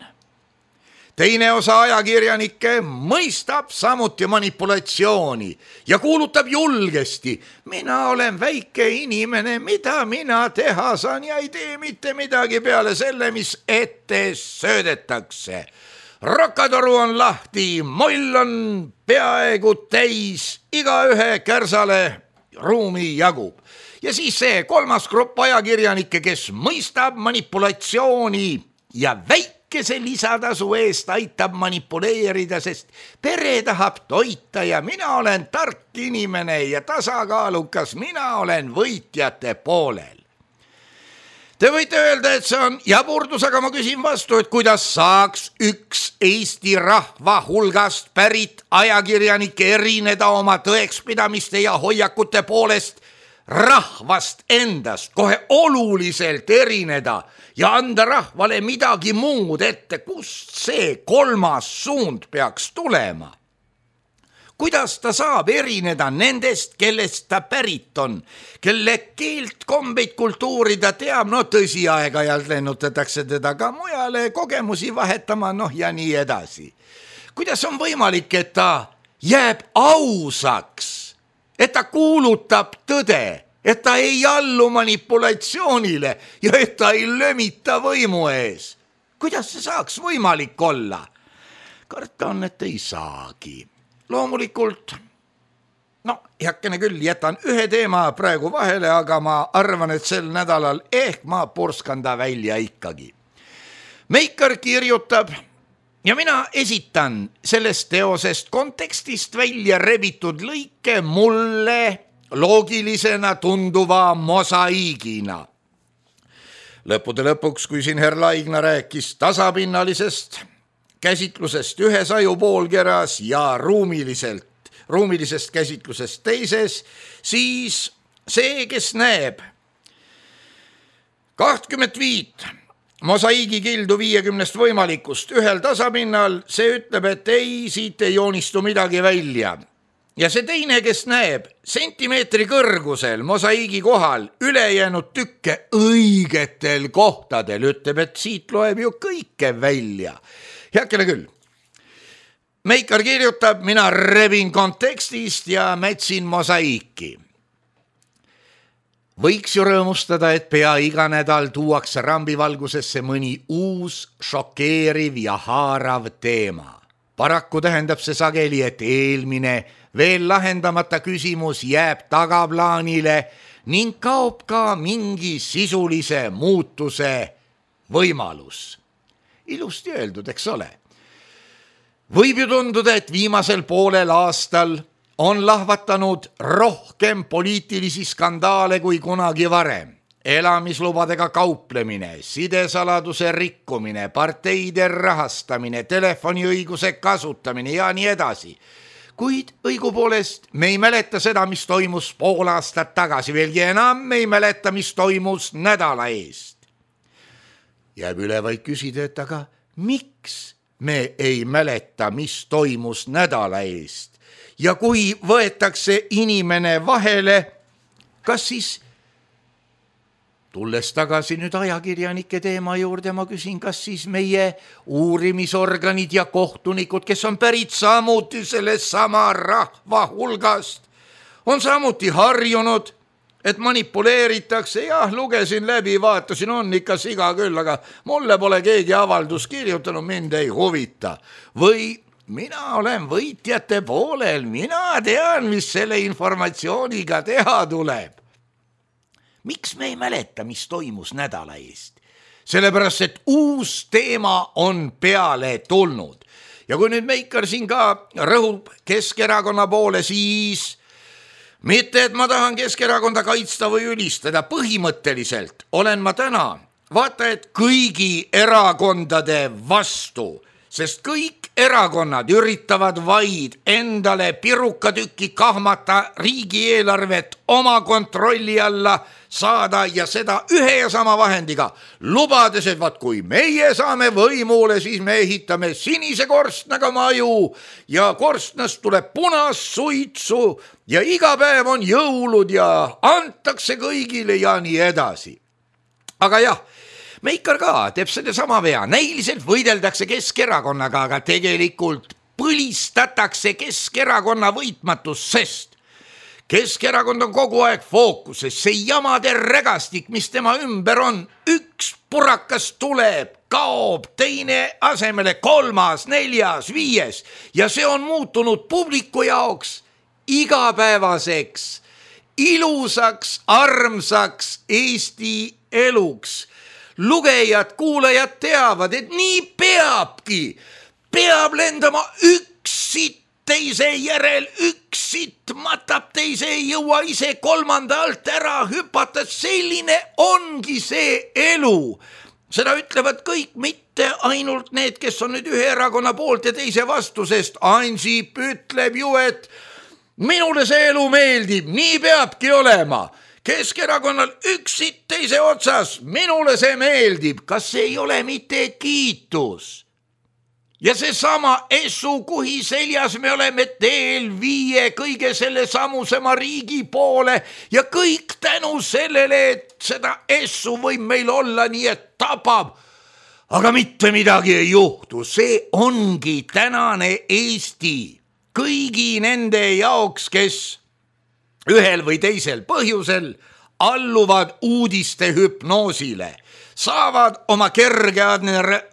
Teine osa ajakirjanikke mõistab samuti manipulatsiooni ja kuulutab julgesti, mina olen väike inimene, mida mina teha saan ja ei tee mitte midagi peale selle, mis ette söödetakse. Rokatoru on lahti, moll on peaaegu täis, igaühe kärsale ruumi jagub. Ja siis see kolmas grupp ajakirjanikke, kes mõistab manipulatsiooni ja väikese lisatasu eest aitab manipuleerida, sest pere tahab toita ja mina olen tark inimene ja tasakaalukas, mina olen võitjate poolel. Te võite öelda, et see on jaburdus, aga ma küsin vastu, et kuidas saaks üks Eesti rahva hulgast pärit ajakirjanik erineda oma tõekspidamiste ja hoiakute poolest rahvast endast, kohe oluliselt erineda ja anda rahvale midagi muud ette, kust see kolmas suund peaks tulema. Kuidas ta saab erineda nendest, kellest ta pärit on, kelle keelt, kombeid, kultuuri ta teab, tõsi aeg-ajalt lennutatakse teda ka mujale kogemusi vahetama, ja nii edasi. Kuidas on võimalik, et ta jääb ausaks, et ta kuulutab tõde, et ta ei allu manipulatsioonile ja et ta ei lömita võimu ees? Kuidas see saaks võimalik olla? Karta on, et ei saagi. Loomulikult, heakene küll, jätan ühe teema praegu vahele, aga ma arvan, et sel nädalal ehk ma purskan ta välja ikkagi. Meikar kirjutab ja mina esitan sellest teosest kontekstist välja rebitud lõike mulle loogilisena tunduva mosaiigina. Lõppude lõpuks, kui siin herr Laigna rääkis tasapinnalisest käsitlusest ühes ajupoolkeras ja ruumilisest käsitlusest teises, siis see, kes näeb 25 mosaiigikildu 50 võimalikust ühel tasapinnal, see ütleb, et ei, siit ei joonistu midagi välja. Ja see teine, kes näeb sentimeetri kõrgusel mosaiigi kohal ülejäänud tükke õigetel kohtadel, ütleb, et siit loeb ju kõike välja. Heakene küll. Meikar kirjutab, mina rebin kontekstist ja mätsin mosaiiki. Võiks ju rõõmustada, et pea iga nädal tuuakse rambivalgusesse mõni uus, šokeeriv ja haarav teema. Paraku tähendab see sageli, et eelmine veel lahendamata küsimus jääb tagaplaanile ning kaob ka mingi sisulise muutuse võimalus. Ilusti öeldud, eks ole. Võib ju tunduda, et viimasel poolel aastal on lahvatanud rohkem poliitilisi skandaale kui kunagi varem. Elamislubadega kauplemine, sidesaladuse rikkumine, parteide rahastamine, telefoniõiguse kasutamine ja nii edasi. Kuid õigupoolest me ei mäleta seda, mis toimus pool aastat tagasi, veelgi enam me ei mäleta, mis toimus nädala eest. Jääb üle vaid küsida, et aga miks me ei mäleta, mis toimus nädala eest? Ja kui võetakse inimene vahele, kas siis, tulles tagasi nüüd ajakirjanike teema juurde, ma küsin, kas siis meie uurimisorganid ja kohtunikud, kes on pärit samuti sellest sama rahva hulgast, on samuti harjunud, et manipuleeritakse. Jah, lugesin läbi, vaatasin, on ikka siga küll, aga mulle pole keegi avaldus kirjutanud, mind ei huvita. Või mina olen võitjate poolel, mina tean, mis selle informatsiooniga teha tuleb. Miks me ei mäleta, mis toimus nädala eest? Sellepärast, et uus teema on peale tulnud. Ja kui nüüd Meikar siin ka rõhub Keskerakonna poole, siis mitte, et ma tahan Keskerakonda kaitsta või ülistada, põhimõtteliselt olen ma täna vaata, et kõigi erakondade vastu, sest kõik erakonnad üritavad vaid endale pirukatükki kahmata, riigieelarvet oma kontrolli alla saada ja seda ühe ja sama vahendiga, lubades, et vaat kui meie saame võimule, siis me ehitame sinise korstnaga maju ja korstnast tuleb punast suitsu ja iga päev on jõulud ja antakse kõigile ja nii edasi. Aga jah, Meikar ka teeb selle sama vea, näiliselt võideldakse Keskerakonnaga, aga tegelikult põlistatakse Keskerakonna võitmatus, sest Keskerakond on kogu aeg fookuses, see jamade regastik, mis tema ümber on, üks purakas tuleb, kaob, teine asemele, kolmas, neljas, viies ja see on muutunud publiku jaoks igapäevaseks, ilusaks, armsaks Eesti eluks. Lugejad, kuulajad teavad, et nii peabki, peab lendama üks sitt teise järel, üks sitt matab teise, ei jõua ise kolmanda alt ära hüpata, selline ongi see elu. Seda ütlevad kõik, mitte ainult need, kes on nüüd ühe erakonna poolt ja teise vastu, sest Ansip ütleb ju, et minule see elu meeldib, nii peabki olema. Keskerakonnal üks sitt teise otsas, minule see meeldib, kas see ei ole mitte kiitus? Ja see sama Essu kuhi seljas me oleme teel viie kõige selle samusema riigi poole ja kõik tänu sellele, et seda Essu võib meil olla nii, et tapab. Aga mitte midagi ei juhtu, see ongi tänane Eesti kõigi nende jaoks, kes ühel või teisel põhjusel alluvad uudiste hüpnoosile, saavad oma kerge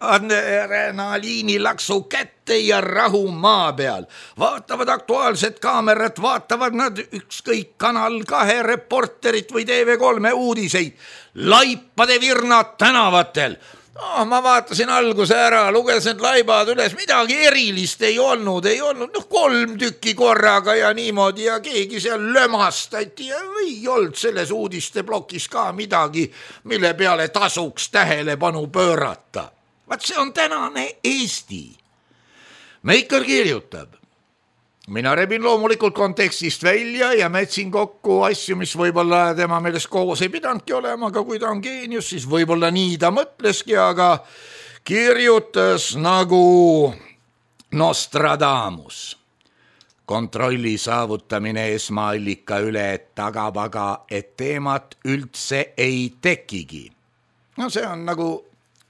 adrenaliinilaksu kätte ja rahu maa peal, vaatavad Aktuaalset kaamerat, vaatavad nad ükskõik Kanal 2 reporterit või TV3 uudiseid, laipade virnad tänavatel. Ma vaatasin alguse ära, lugesin laibad üles, midagi erilist ei olnud, 3 tükki korraga ja niimoodi ja keegi seal lömastati ja ei olnud selles uudiste plokis ka midagi, mille peale tasuks tähelepanu pöörata. Vaat see on tänane Eesti. Meikar kirjutab. Mina rebin loomulikult kontekstist välja ja mätsin kokku asju, mis võib-olla tema meelest koos ei pidanudki olema, aga kui ta on geenius, siis võib-olla nii ta mõtleski, aga kirjutas nagu Nostradamus. Kontrolli saavutamine esmaallika üle tagab aga, et teemat üldse ei tekigi. No see on nagu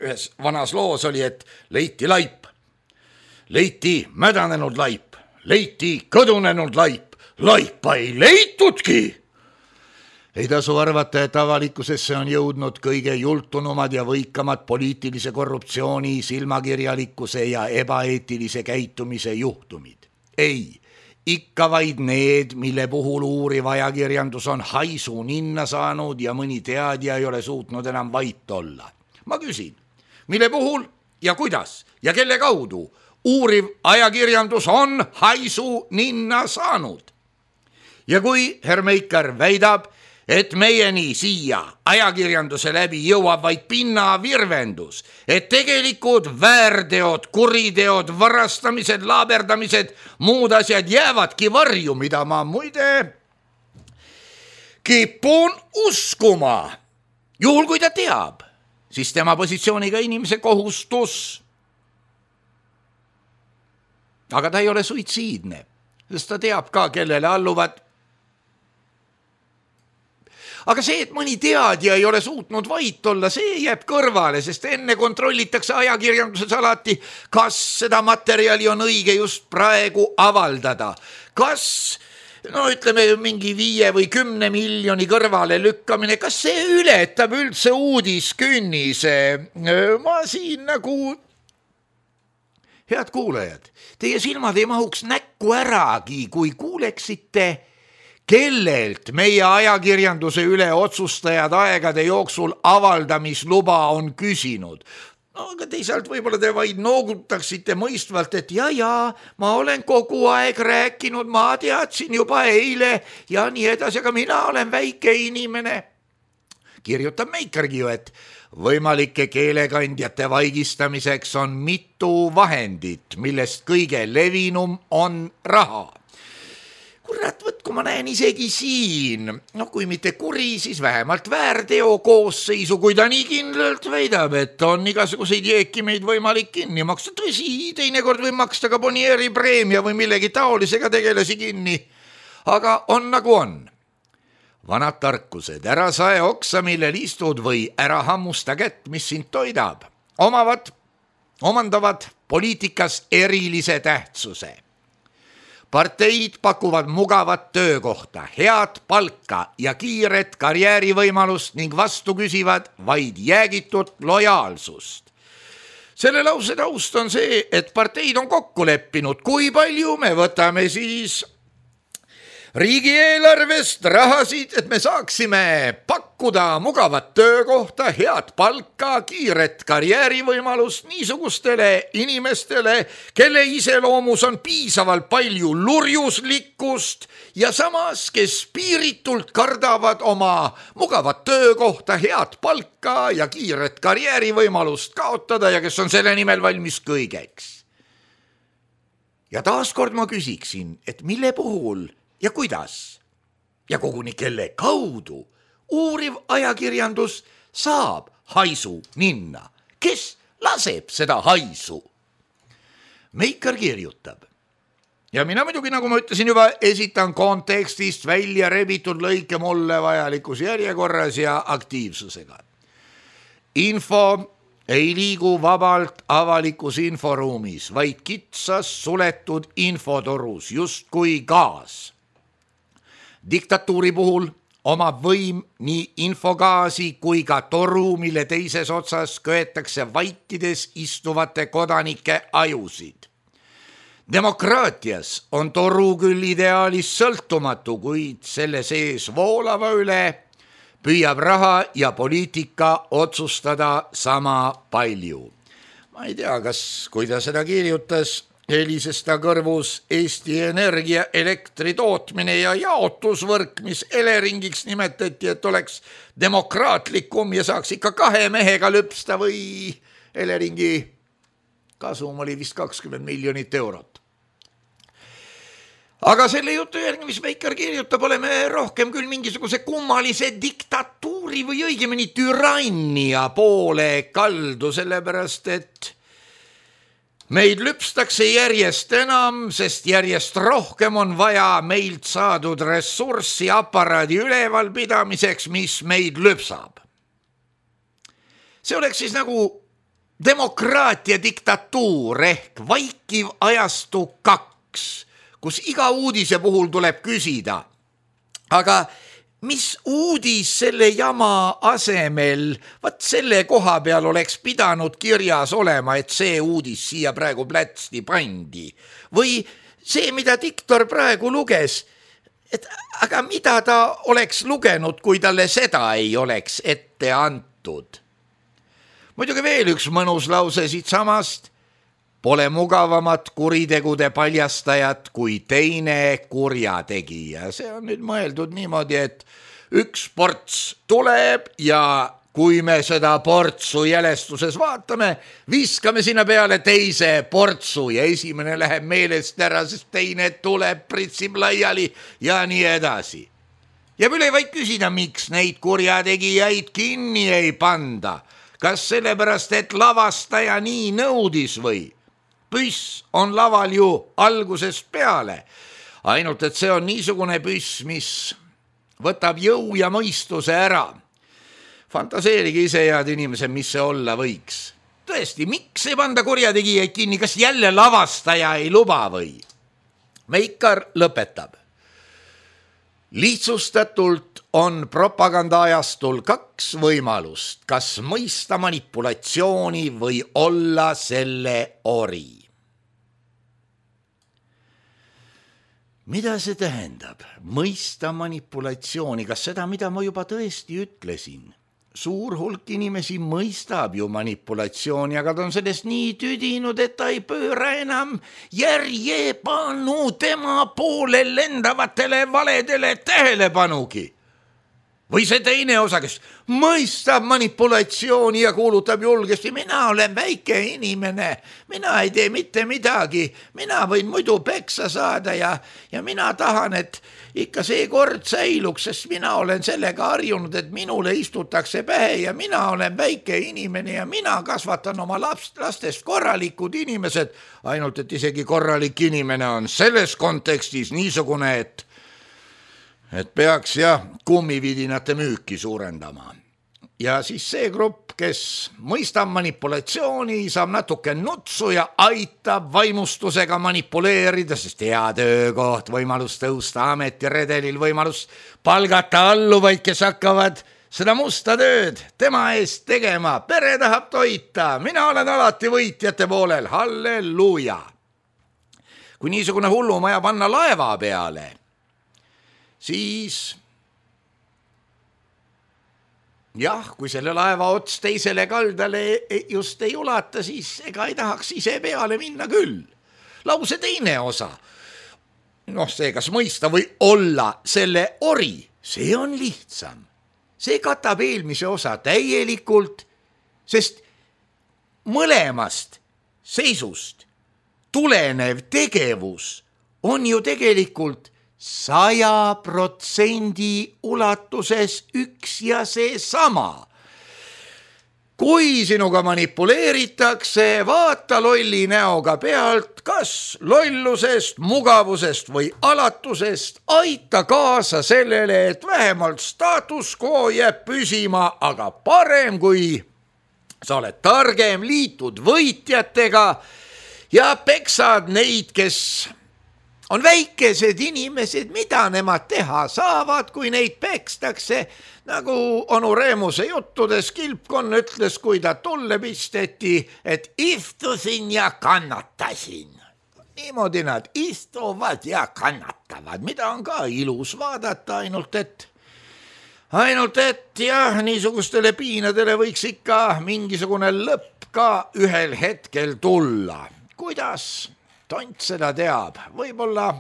ühes vanas loos oli, et leiti laip, leiti mädanenud laip, leiti kõdunenud laip, laipa ei leitudki. Ei tasu arvata, et avalikkusesse on jõudnud kõige jultunumad ja võikamad poliitilise korruptsiooni, silmakirjalikkuse ja ebaeetilise käitumise juhtumid. Ei, ikka vaid need, mille puhul uuriv ajakirjandus on haisu ninna saanud ja mõni teadja ei ole suutnud enam vait olla. Ma küsin, mille puhul ja kuidas ja kelle kaudu uuriv ajakirjandus on haisu ninna saanud? Ja kui Herr Meikar väidab, et meieni siia ajakirjanduse läbi jõuab vaid pinnavirvendus, et tegelikud väärteod, kuriteod, varastamised, laaberdamised, muud asjad jäävadki varju, mida ma muide kipun uskuma. Juhul kui ta teab, siis tema positsiooniga inimese kohustus. Aga ta ei ole suitsiidne, sest ta teab ka, kellele alluvad. Aga see, et mõni teadja ei ole suutnud vait olla, see jääb kõrvale, sest enne kontrollitakse ajakirjanduses alati, kas seda materjali on õige just praegu avaldada. Kas, ütleme mingi 5 või 10 miljoni kõrvale lükkamine, kas see ületab üldse uudiskünnise? Ma siin nagu... Head kuulajad, teie silmad ei mahuks näkku äragi, kui kuuleksite... kellelt meie ajakirjanduse üle otsustajad aegade jooksul avaldamisluba on küsinud. No, aga teisalt võib-olla te vaid noogutaksite mõistvalt, et ja, ma olen kogu aeg rääkinud, ma teadsin juba eile ja nii edasi, aga mina olen väike inimene. Kirjutab Meikargi ju, et võimalike keelekandjate vaigistamiseks on mitu vahendit, millest kõige levinum on raha. Kurat, kui ma näen isegi siin, kui mitte kuri, siis vähemalt väärteo koosseisu, kui ta nii kindlalt väidab, et on igasuguseid jeekimeid võimalik kinni maksta. Tõsi, teinekord võib maksta ka Bonieri preemia või millegi taolisega tegelasi kinni, aga on nagu on. Vanad tarkused, ära sae oksa, millel istud või ära hammusta kätt, mis sind toidab, omandavad poliitikas erilise tähtsuse. Parteid pakuvad mugavat töökohta, head palka ja kiiret karjäärivõimalust ning vastu küsivad vaid jäägitut lojaalsust. Selle lause taust on see, et parteid on kokku leppinud, kui palju me võtame siis riigieelarvest rahasid, et me saaksime pakkuda mugavat töökohta, head palka, kiiret karjäärivõimalust niisugustele inimestele, kelle iseloomus on piisavalt palju lurjuslikkust ja samas, kes piiritult kardavad oma mugavat töökohta, head palka ja kiiret karjäärivõimalust kaotada ja kes on selle nimel valmis kõigeks. Ja taaskord ma küsiksin, et mille puhul ja kuidas ja koguni kelle kaudu uuriv ajakirjandus saab haisu ninna? Kes laseb seda haisu? Meikar kirjutab. Ja mina muidugi, nagu ma ütlesin juba, esitan kontekstist välja rebitud lõike mulle vajalikus järjekorras ja aktiivsusega. Info ei liigu vabalt avalikus inforuumis, vaid kitsas suletud infotorus, justkui gaas. Diktatuuri puhul omab võim nii infogaasi kui ka toru, mille teises otsas köetakse vaikides istuvate kodanike ajusid. Demokraatias on toru küll ideaalis sõltumatu, kuid selle sees voolava üle püüab raha ja poliitika otsustada sama palju. Ma ei tea, kui ta seda kirjutas, helises ta kõrvus Eesti Energia elektri tootmine ja jaotusvõrk, mis Eleringiks nimetati, et oleks demokraatlikum ja saaks ikka 2 mehega lüpsta või Eleringi kasum oli vist 20 miljonit eurot. Aga selle jutu järgi, mis Veikar kirjutab, oleme rohkem küll mingisuguse kummalise diktatuuri või õigemini türannia poole kaldu, sellepärast et meid lüpstakse järjest enam, sest järjest rohkem on vaja meilt saadud ressurssi aparaadi ülevalpidamiseks, mis meid lüpsab. See oleks siis nagu demokraatia diktatuur ehk vaikiv ajastu 2, kus iga uudise puhul tuleb küsida, aga mis uudis selle jama asemel, selle koha peal oleks pidanud kirjas olema, et see uudis siia praegu plätsti pandi. Või see, mida diktor praegu luges, et aga mida ta oleks lugenud, kui talle seda ei oleks ette antud. Muidugi veel üks mõnus lause siit samast. Pole mugavamat kuritegude paljastajat kui teine kurjategija. See on nüüd mõeldud niimoodi, et üks ports tuleb ja kui me seda portsu jälestuses vaatame, viskame sinna peale teise portsu ja esimene läheb meelest ära, sest teine tuleb, pritsib laiali ja nii edasi. Jääb üle vaid küsida, miks neid kurjategijaid kinni ei panda. Kas sellepärast, et lavastaja nii nõudis või? Püss on laval ju algusest peale, ainult et see on niisugune püss, mis võtab jõu ja mõistuse ära. Fantaseerige ise, head inimesed, mis see olla võiks. Tõesti, miks ei panda kurjategijaid kinni, kas jälle lavastaja ei luba või? Veikar lõpetab. Lihtsustatult on propagandaajastul 2 võimalust, kas mõista manipulatsiooni või olla selle ori. Mida see tähendab? Mõista manipulatsiooni, kas seda, mida ma juba tõesti ütlesin? Suur hulk inimesi mõistab ju manipulatsiooni, aga ta on sellest nii tüdinud, et ta ei pööra enam järjepanu tema poole lendavatele valedele tähelepanugi. Või see teine osa, kes mõistab manipulatsiooni ja kuulutab julgesti, mina olen väike inimene, mina ei tee mitte midagi, mina võin muidu peksa saada ja mina tahan, et ikka see kord säiluks, sest mina olen sellega harjunud, et minule istutakse pähe ja mina olen väike inimene ja mina kasvatan oma lastest korralikud inimesed, ainult et isegi korralik inimene on selles kontekstis niisugune, et peaks kummividinate müüki suurendama. Ja siis see grupp, kes mõistab manipulatsiooni, saab natuke nutsu ja aitab vaimustusega manipuleerida, sest hea töökoht, võimalus tõusta ametiredelil, võimalus palgata alluvaid, kes hakkavad seda musta tööd tema eest tegema. Pere tahab toita, mina olen alati võitjate poolel, halleluuja. Kui niisugune hullumaja panna laeva peale, siis kui selle laeva ots teisele kaldale just ei ulata, siis ega ei tahaks ise peale minna küll. Lause teine osa. See, kas mõista või olla selle ori, see on lihtsam. See katab eelmise osa täielikult, sest mõlemast seisust tulenev tegevus on ju tegelikult 100% ulatuses üks ja see sama. Kui sinuga manipuleeritakse, vaata lolli näoga pealt, kas lollusest, mugavusest või alatusest, aita kaasa sellele, et vähemalt status quo jääb püsima, aga parem kui sa oled targem, liitud võitjatega ja peksad neid, kes on väikesed inimesed, mida nemad teha saavad, kui neid pekstakse, nagu onu Reemuse juttudes Kilpkonn ütles, kui ta tulle pisteti, et istusin ja kannatasin. Niimoodi nad istuvad ja kannatavad, mida on ka ilus vaadata, ainult et niisugustele piinadele võiks ikka mingisugune lõpp ka ühel hetkel tulla. Kuidas? Tont seda teab, võib-olla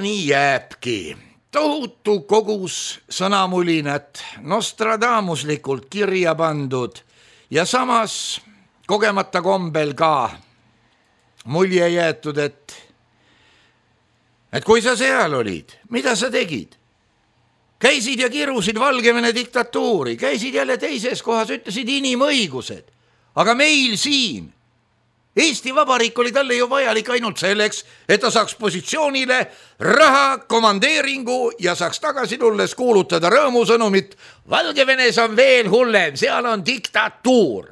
nii jääbki. Tohutu kogus sõnamulinat, Nostradamuslikult kirja pandud ja samas kogemata kombel ka mulje jäetud, et kui sa seal olid, mida sa tegid? Käisid ja kirusid Valgevene diktatuuri, käisid jälle teises kohas, ütlesid inimõigused. Aga meil siin, Eesti Vabariik oli talle ju vajalik ainult selleks, et ta saaks positsioonile raha, komandeeringu ja saaks tagasi tulles kuulutada rõõmusõnumit. Valgevenes on veel hullem, seal on diktatuur.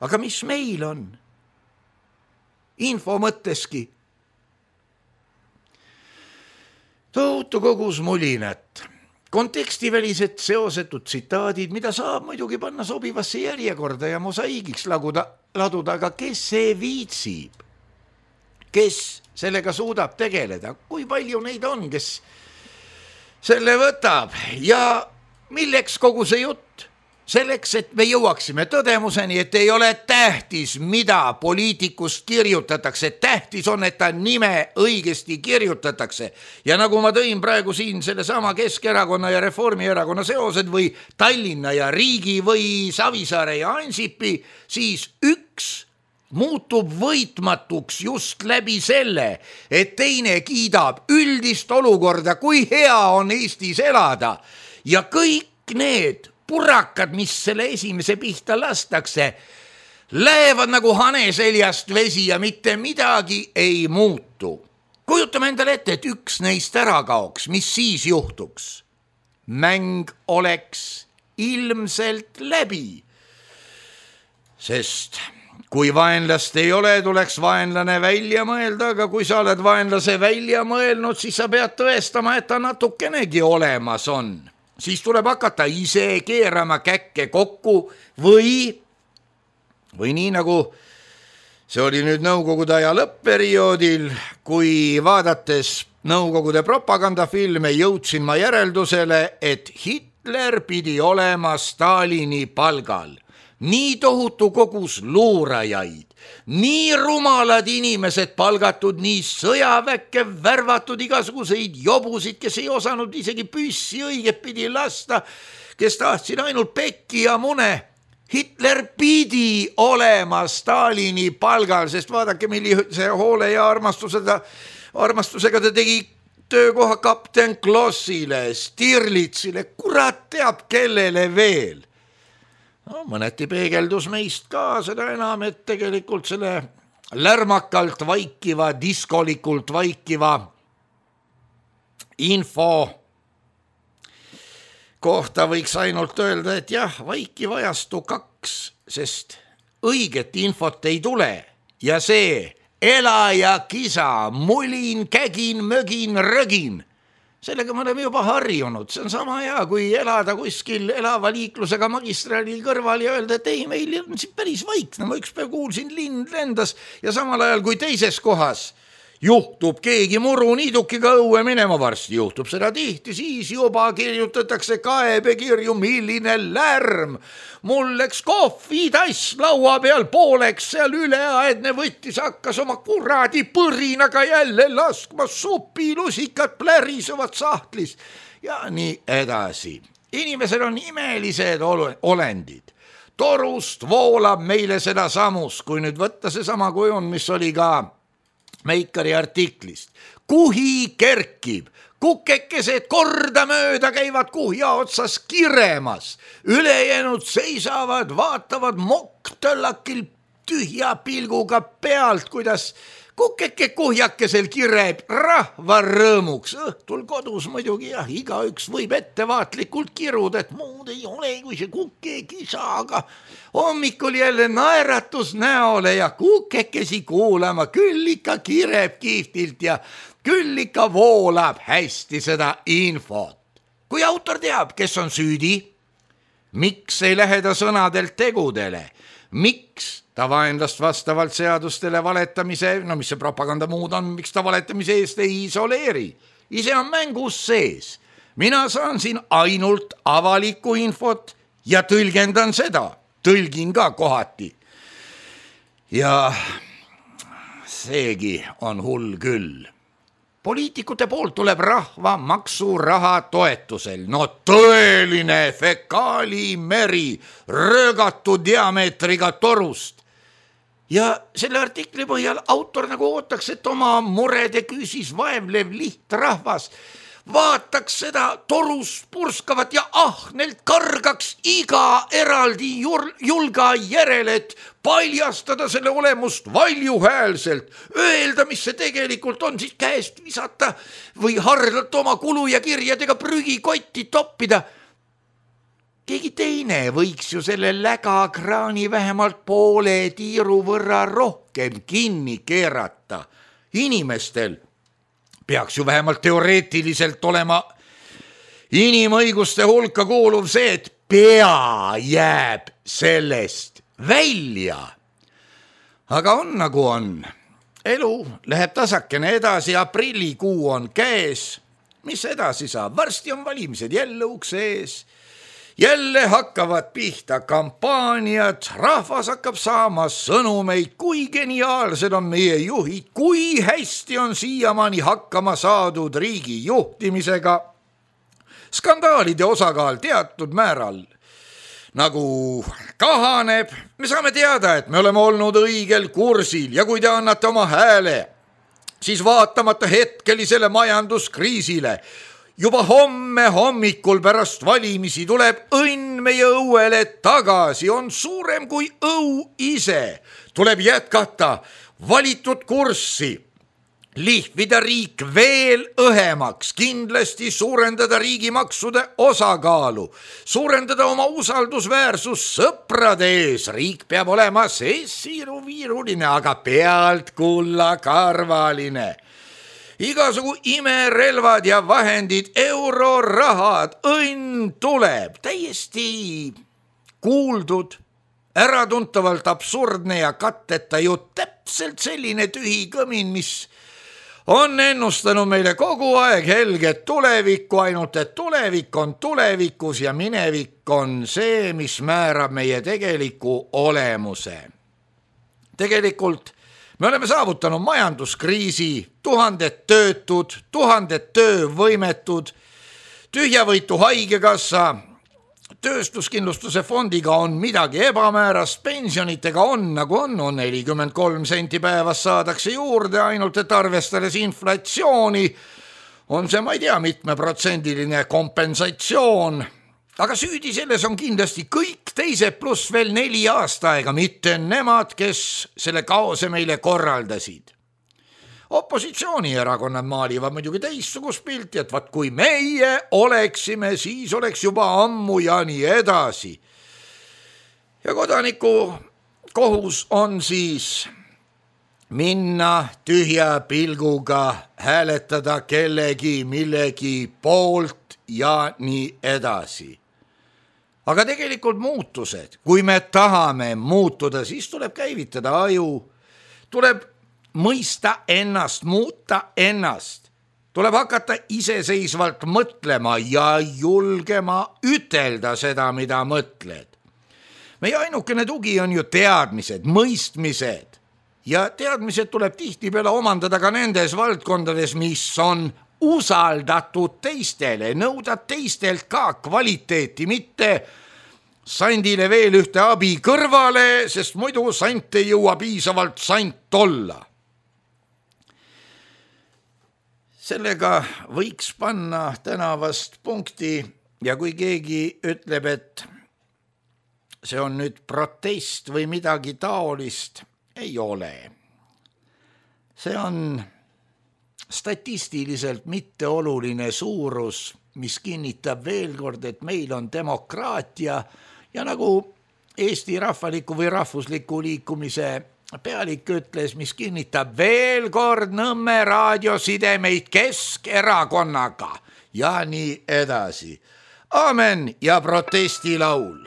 Aga mis meil on? Info mõtteski. Tohutu kogus mulinat. Kontekstivälised seosetud tsitaadid, mida saab muidugi panna sobivasse järjekorda ja mosaiigiks laduda, aga kes see viitsib? Kes sellega suudab tegeleda? Kui palju neid on, kes selle võtab? Ja milleks kogu see jutt? Selleks, et me jõuaksime tõdemuseni, et ei ole tähtis, mida poliitikust kirjutatakse. Tähtis on, et ta nime õigesti kirjutatakse. Ja nagu ma tõin praegu siin selle sama Keskerakonna ja Reformierakonna seosed või Tallinna ja Riigi või Savisaare ja Ansipi, siis üks muutub võitmatuks just läbi selle, et teine kiidab üldist olukorda, kui hea on Eestis elada. Ja kõik need purakad, mis selle esimese pihta lastakse, lähevad nagu hane seljast vesi ja mitte midagi ei muutu. Kujutame endale ette, et üks neist ära kaoks, mis siis juhtuks? Mäng oleks ilmselt läbi. Sest kui vaenlast ei ole, tuleks vaenlane välja mõelda, aga kui sa oled vaenlase välja mõelnud, siis sa pead tõestama, et ta natukenegi olemas on. Siis tuleb hakata ise keerama käkke kokku või nii nagu see oli nüüd Nõukogude aja lõppperioodil, kui vaadates Nõukogude propagandafilme jõudsin ma järeldusele, et Hitler pidi olema Stalini palgal. Nii tohutu kogus luurajaid, nii rumalad inimesed palgatud, nii sõjaväkke värvatud igasuguseid jobusid, kes ei osanud isegi püssi õiget pidi lasta, kes tahtsid ainult pekki ja mune. Hitler pidi olema Stalini palgal, sest vaadake, millise hoole ja armastusega ta tegi töökoha kapten Klossile, Stirlitsile, kurat teab kellele veel. No, mõneti peegeldus meist ka, seda enam, et tegelikult selle lärmakalt vaikiva, diskolikult vaikiva info kohta võiks ainult öelda, et jah, vaikiv ajastu 2, sest õiget infot ei tule ja see ela ja kisa, mulin, kägin, mögin, rögin. Sellega me oleme juba harjunud, see on sama hea, kui elada kuskil elava liiklusega magistraalil kõrval ja öelda, et ei, meil on siin päris vaikne, ma üks päev kuulsin, lind lendas ja samal ajal kui teises kohas juhtub keegi muruniidukiga õue minema, varsti juhtub seda tihti, siis juba kirjutatakse kaebekirju, milline lärm. Mul läks kohvitass laua peal pooleks, seal üleaedne võttis, hakkas oma kuradi põrinaga jälle laskma supilusikat plärisevad sahtlis ja nii edasi. Inimesed on imelised olendid. Torust voolab meile seda samus, kui nüüd võtta see sama kujund, mis oli ka Meikari artiklist. Kuhi kerkib, kukekesed kordamööda käivad kuhja otsas kiremas, ülejäänud seisavad, vaatavad mokk-töllakil tühja pilguga pealt, kuidas kukeke kuhjakesel kireb rahva rõõmuks. Õhtul kodus muidugi jah, igaüks võib ettevaatlikult kiruda, et muud ei ole kui see kukekisa, aga hommikul jälle naeratus näole ja kukekesi kuulama, küll ikka kireb kihvtilt ja küll ikka voolab hästi seda infot. Kui autor teab, kes on süüdi, miks ei lähe ta sõnadelt tegudele, miks ta vaenlast vastavalt seadustele valetamise, no mis see propaganda muud on, miks ta valetamise eest ei isoleeri. Ise on mängus sees. Mina saan siin ainult avalikku infot ja tõlgendan seda. Tõlgin ka kohati. Ja seegi on hull küll. Poliitikute poolt tuleb rahva maksuraha toetusel. No tõeline fekaalimeri röögatu diameetriga torust. Ja selle artikli põhjal autor nagu ootaks, et oma murede küüsis vaevlev lihtrahvas vaataks seda torus purskavat ja ahnelt kargaks iga eraldi julga järele, et paljastada selle olemust valjuhäälselt, öelda, mis see tegelikult on, siis käest visata või hardalt oma kulu ja kirjadega prügikotti toppida. Keegi teine võiks ju selle lägakraani vähemalt poole tiiru võrra rohkem kinni keerata. Inimestel peaks ju vähemalt teoreetiliselt olema inimõiguste hulka kuuluv see, et pea jääb sellest välja. Aga on nagu on. Elu läheb tasakene edasi, aprillikuu on käes. Mis edasi saab? Varsti on valimised jälle ukse ees. Jälle hakkavad pihta kampaaniad, rahvas hakkab saama sõnumeid, kui geniaalsed on meie juhid, kui hästi on siiamaani hakkama saadud riigi juhtimisega. Skandaalide osakaal teatud määral nagu kahaneb. Me saame teada, et me oleme olnud õigel kursil ja kui te annate oma hääle, siis vaatamata hetkelisele majanduskriisile juba homme hommikul pärast valimisi tuleb õnn meie õuele tagasi, on suurem kui õu ise. Tuleb jätkata valitud kurssi, lihvida riik veel õhemaks, kindlasti suurendada riigimaksude osakaalu, suurendada oma usaldusväärsus sõprade ees. Riik peab olema siiruviiruline, aga pealt kullakarvaline. Igasugu imerelvad ja vahendid, eurorahad, õnn tuleb, täiesti kuuldud, äratuntavalt absurdne ja katteta ju täpselt selline tühi kõmin, mis on ennustanud meile kogu aeg helget tulevikku, ainult et tulevik on tulevikus ja minevik on see, mis määrab meie tegeliku olemuse. Tegelikult me oleme saavutanud majanduskriisi, tuhanded töötud, tuhanded töövõimetud, tühjavõitu haigekassa, tööstuskindlustuse fondiga on midagi ebamäärast, pensionitega on nagu on 43 senti päevas saadakse juurde, ainult et arvestades inflatsiooni on see, ma ei tea, mitmeprotsendiline kompensatsioon. Aga süüdi selles on kindlasti kõik teised pluss veel 4 aastaaega, mitte nemad, kes selle kaose meile korraldasid. Opositsioonierakonnad maalivad muidugi teistsugust pilti, et vaat kui meie oleksime, siis oleks juba ammu ja nii edasi. Ja kodaniku kohus on siis minna tühja pilguga, hääletada kellegi millegi poolt ja nii edasi. Aga tegelikult muutused, kui me tahame muutuda, siis tuleb käivitada aju, tuleb mõista ennast, muuta ennast, tuleb hakata iseseisvalt mõtlema ja julgema ütelda seda, mida mõtled. Meie ainukene tugi on ju teadmised, mõistmised ja teadmised tuleb tihtipeale omandada ka nendes valdkondades, mis on usaldatud teistele, nõuda teistelt ka kvaliteeti, mitte sandile veel ühte abi kõrvale, sest muidu sant ei jõua piisavalt sant olla. Sellega võiks panna tänavast punkti ja kui keegi ütleb, et see on nüüd protest või midagi taolist, ei ole. See on statistiliselt mitteoluline suurus, mis kinnitab veel kord, et meil on demokraatia ja nagu Eesti rahvaliku või rahvusliku liikumise pealik ütles, mis kinnitab veel kord Nõmme raadiosidemeid Keskerakonnaga ja nii edasi. Aamen ja protestilaul.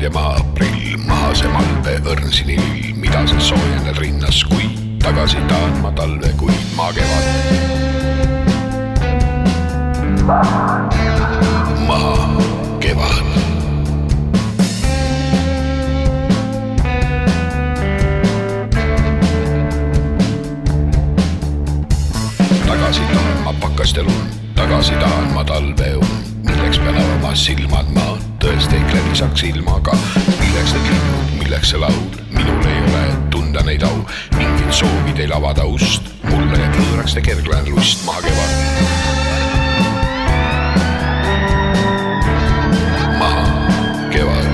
Ja maha aprill, maha see malve õrnsinil, mida sa soojened rinnas, kui tagasi tahan ma talve, kui ma kevad. Maha kevad. tagasi tahan ma pakast ja lund, tagasi tahan ma talveund. Milleks pean avama silmad ma, tõesti ehk läbi saaks ilmaga. Milleks need linnud, milleks see laul, minul ei ole tunda neid au. Mingid soovi teil avada ust, mulle jääb võõraks te kerglan lust maha kevad. Maha kevad.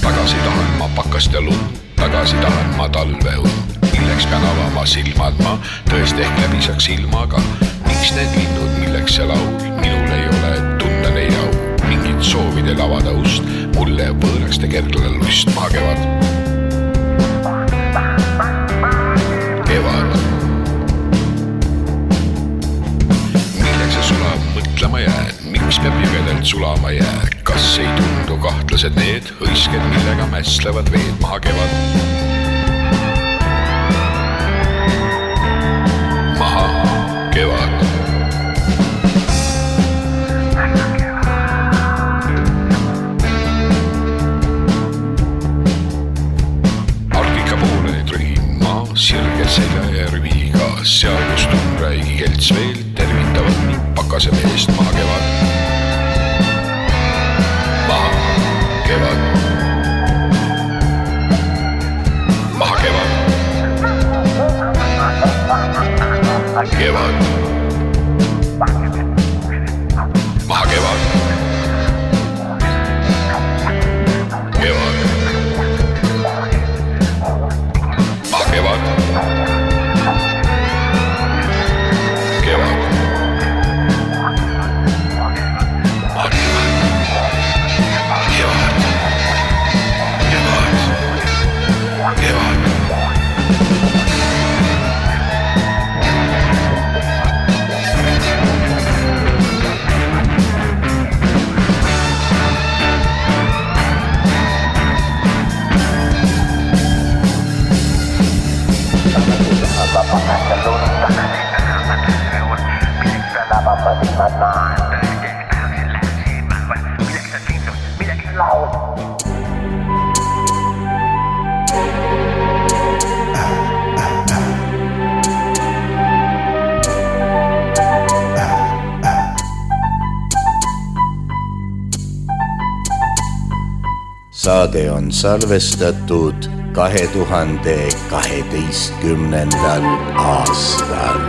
Tagasi tahan ma pakast ja lund, tagasi tahan ma talveund. Milleks pean avama silmad ma, tõesti ehk läbi saaks ilmaga. Miks need linnud, milleks see laul, minul ei ole tunda neid au. Mingid soovidel avada ust, mulle võõraks te kerglan lust maha kevad. Kevad. Milleks see sulab, mõtlema jään, miks peab jõgedelt sulama jää. Kas ei tundu kahtlased need hõisked, millega mässlevad veed maha kevad? Maha kevad. Arkika poole trühin ma sirge selja ja rüviga, seal kus tundraigi kelts veel tervitavad mind pakase meest maha kevad. Maha kevad. Maha kevad. Kevad. Maha kevad. Kevad. Maha kevad. Kevad. Saade on salvestatud 2012. aastal.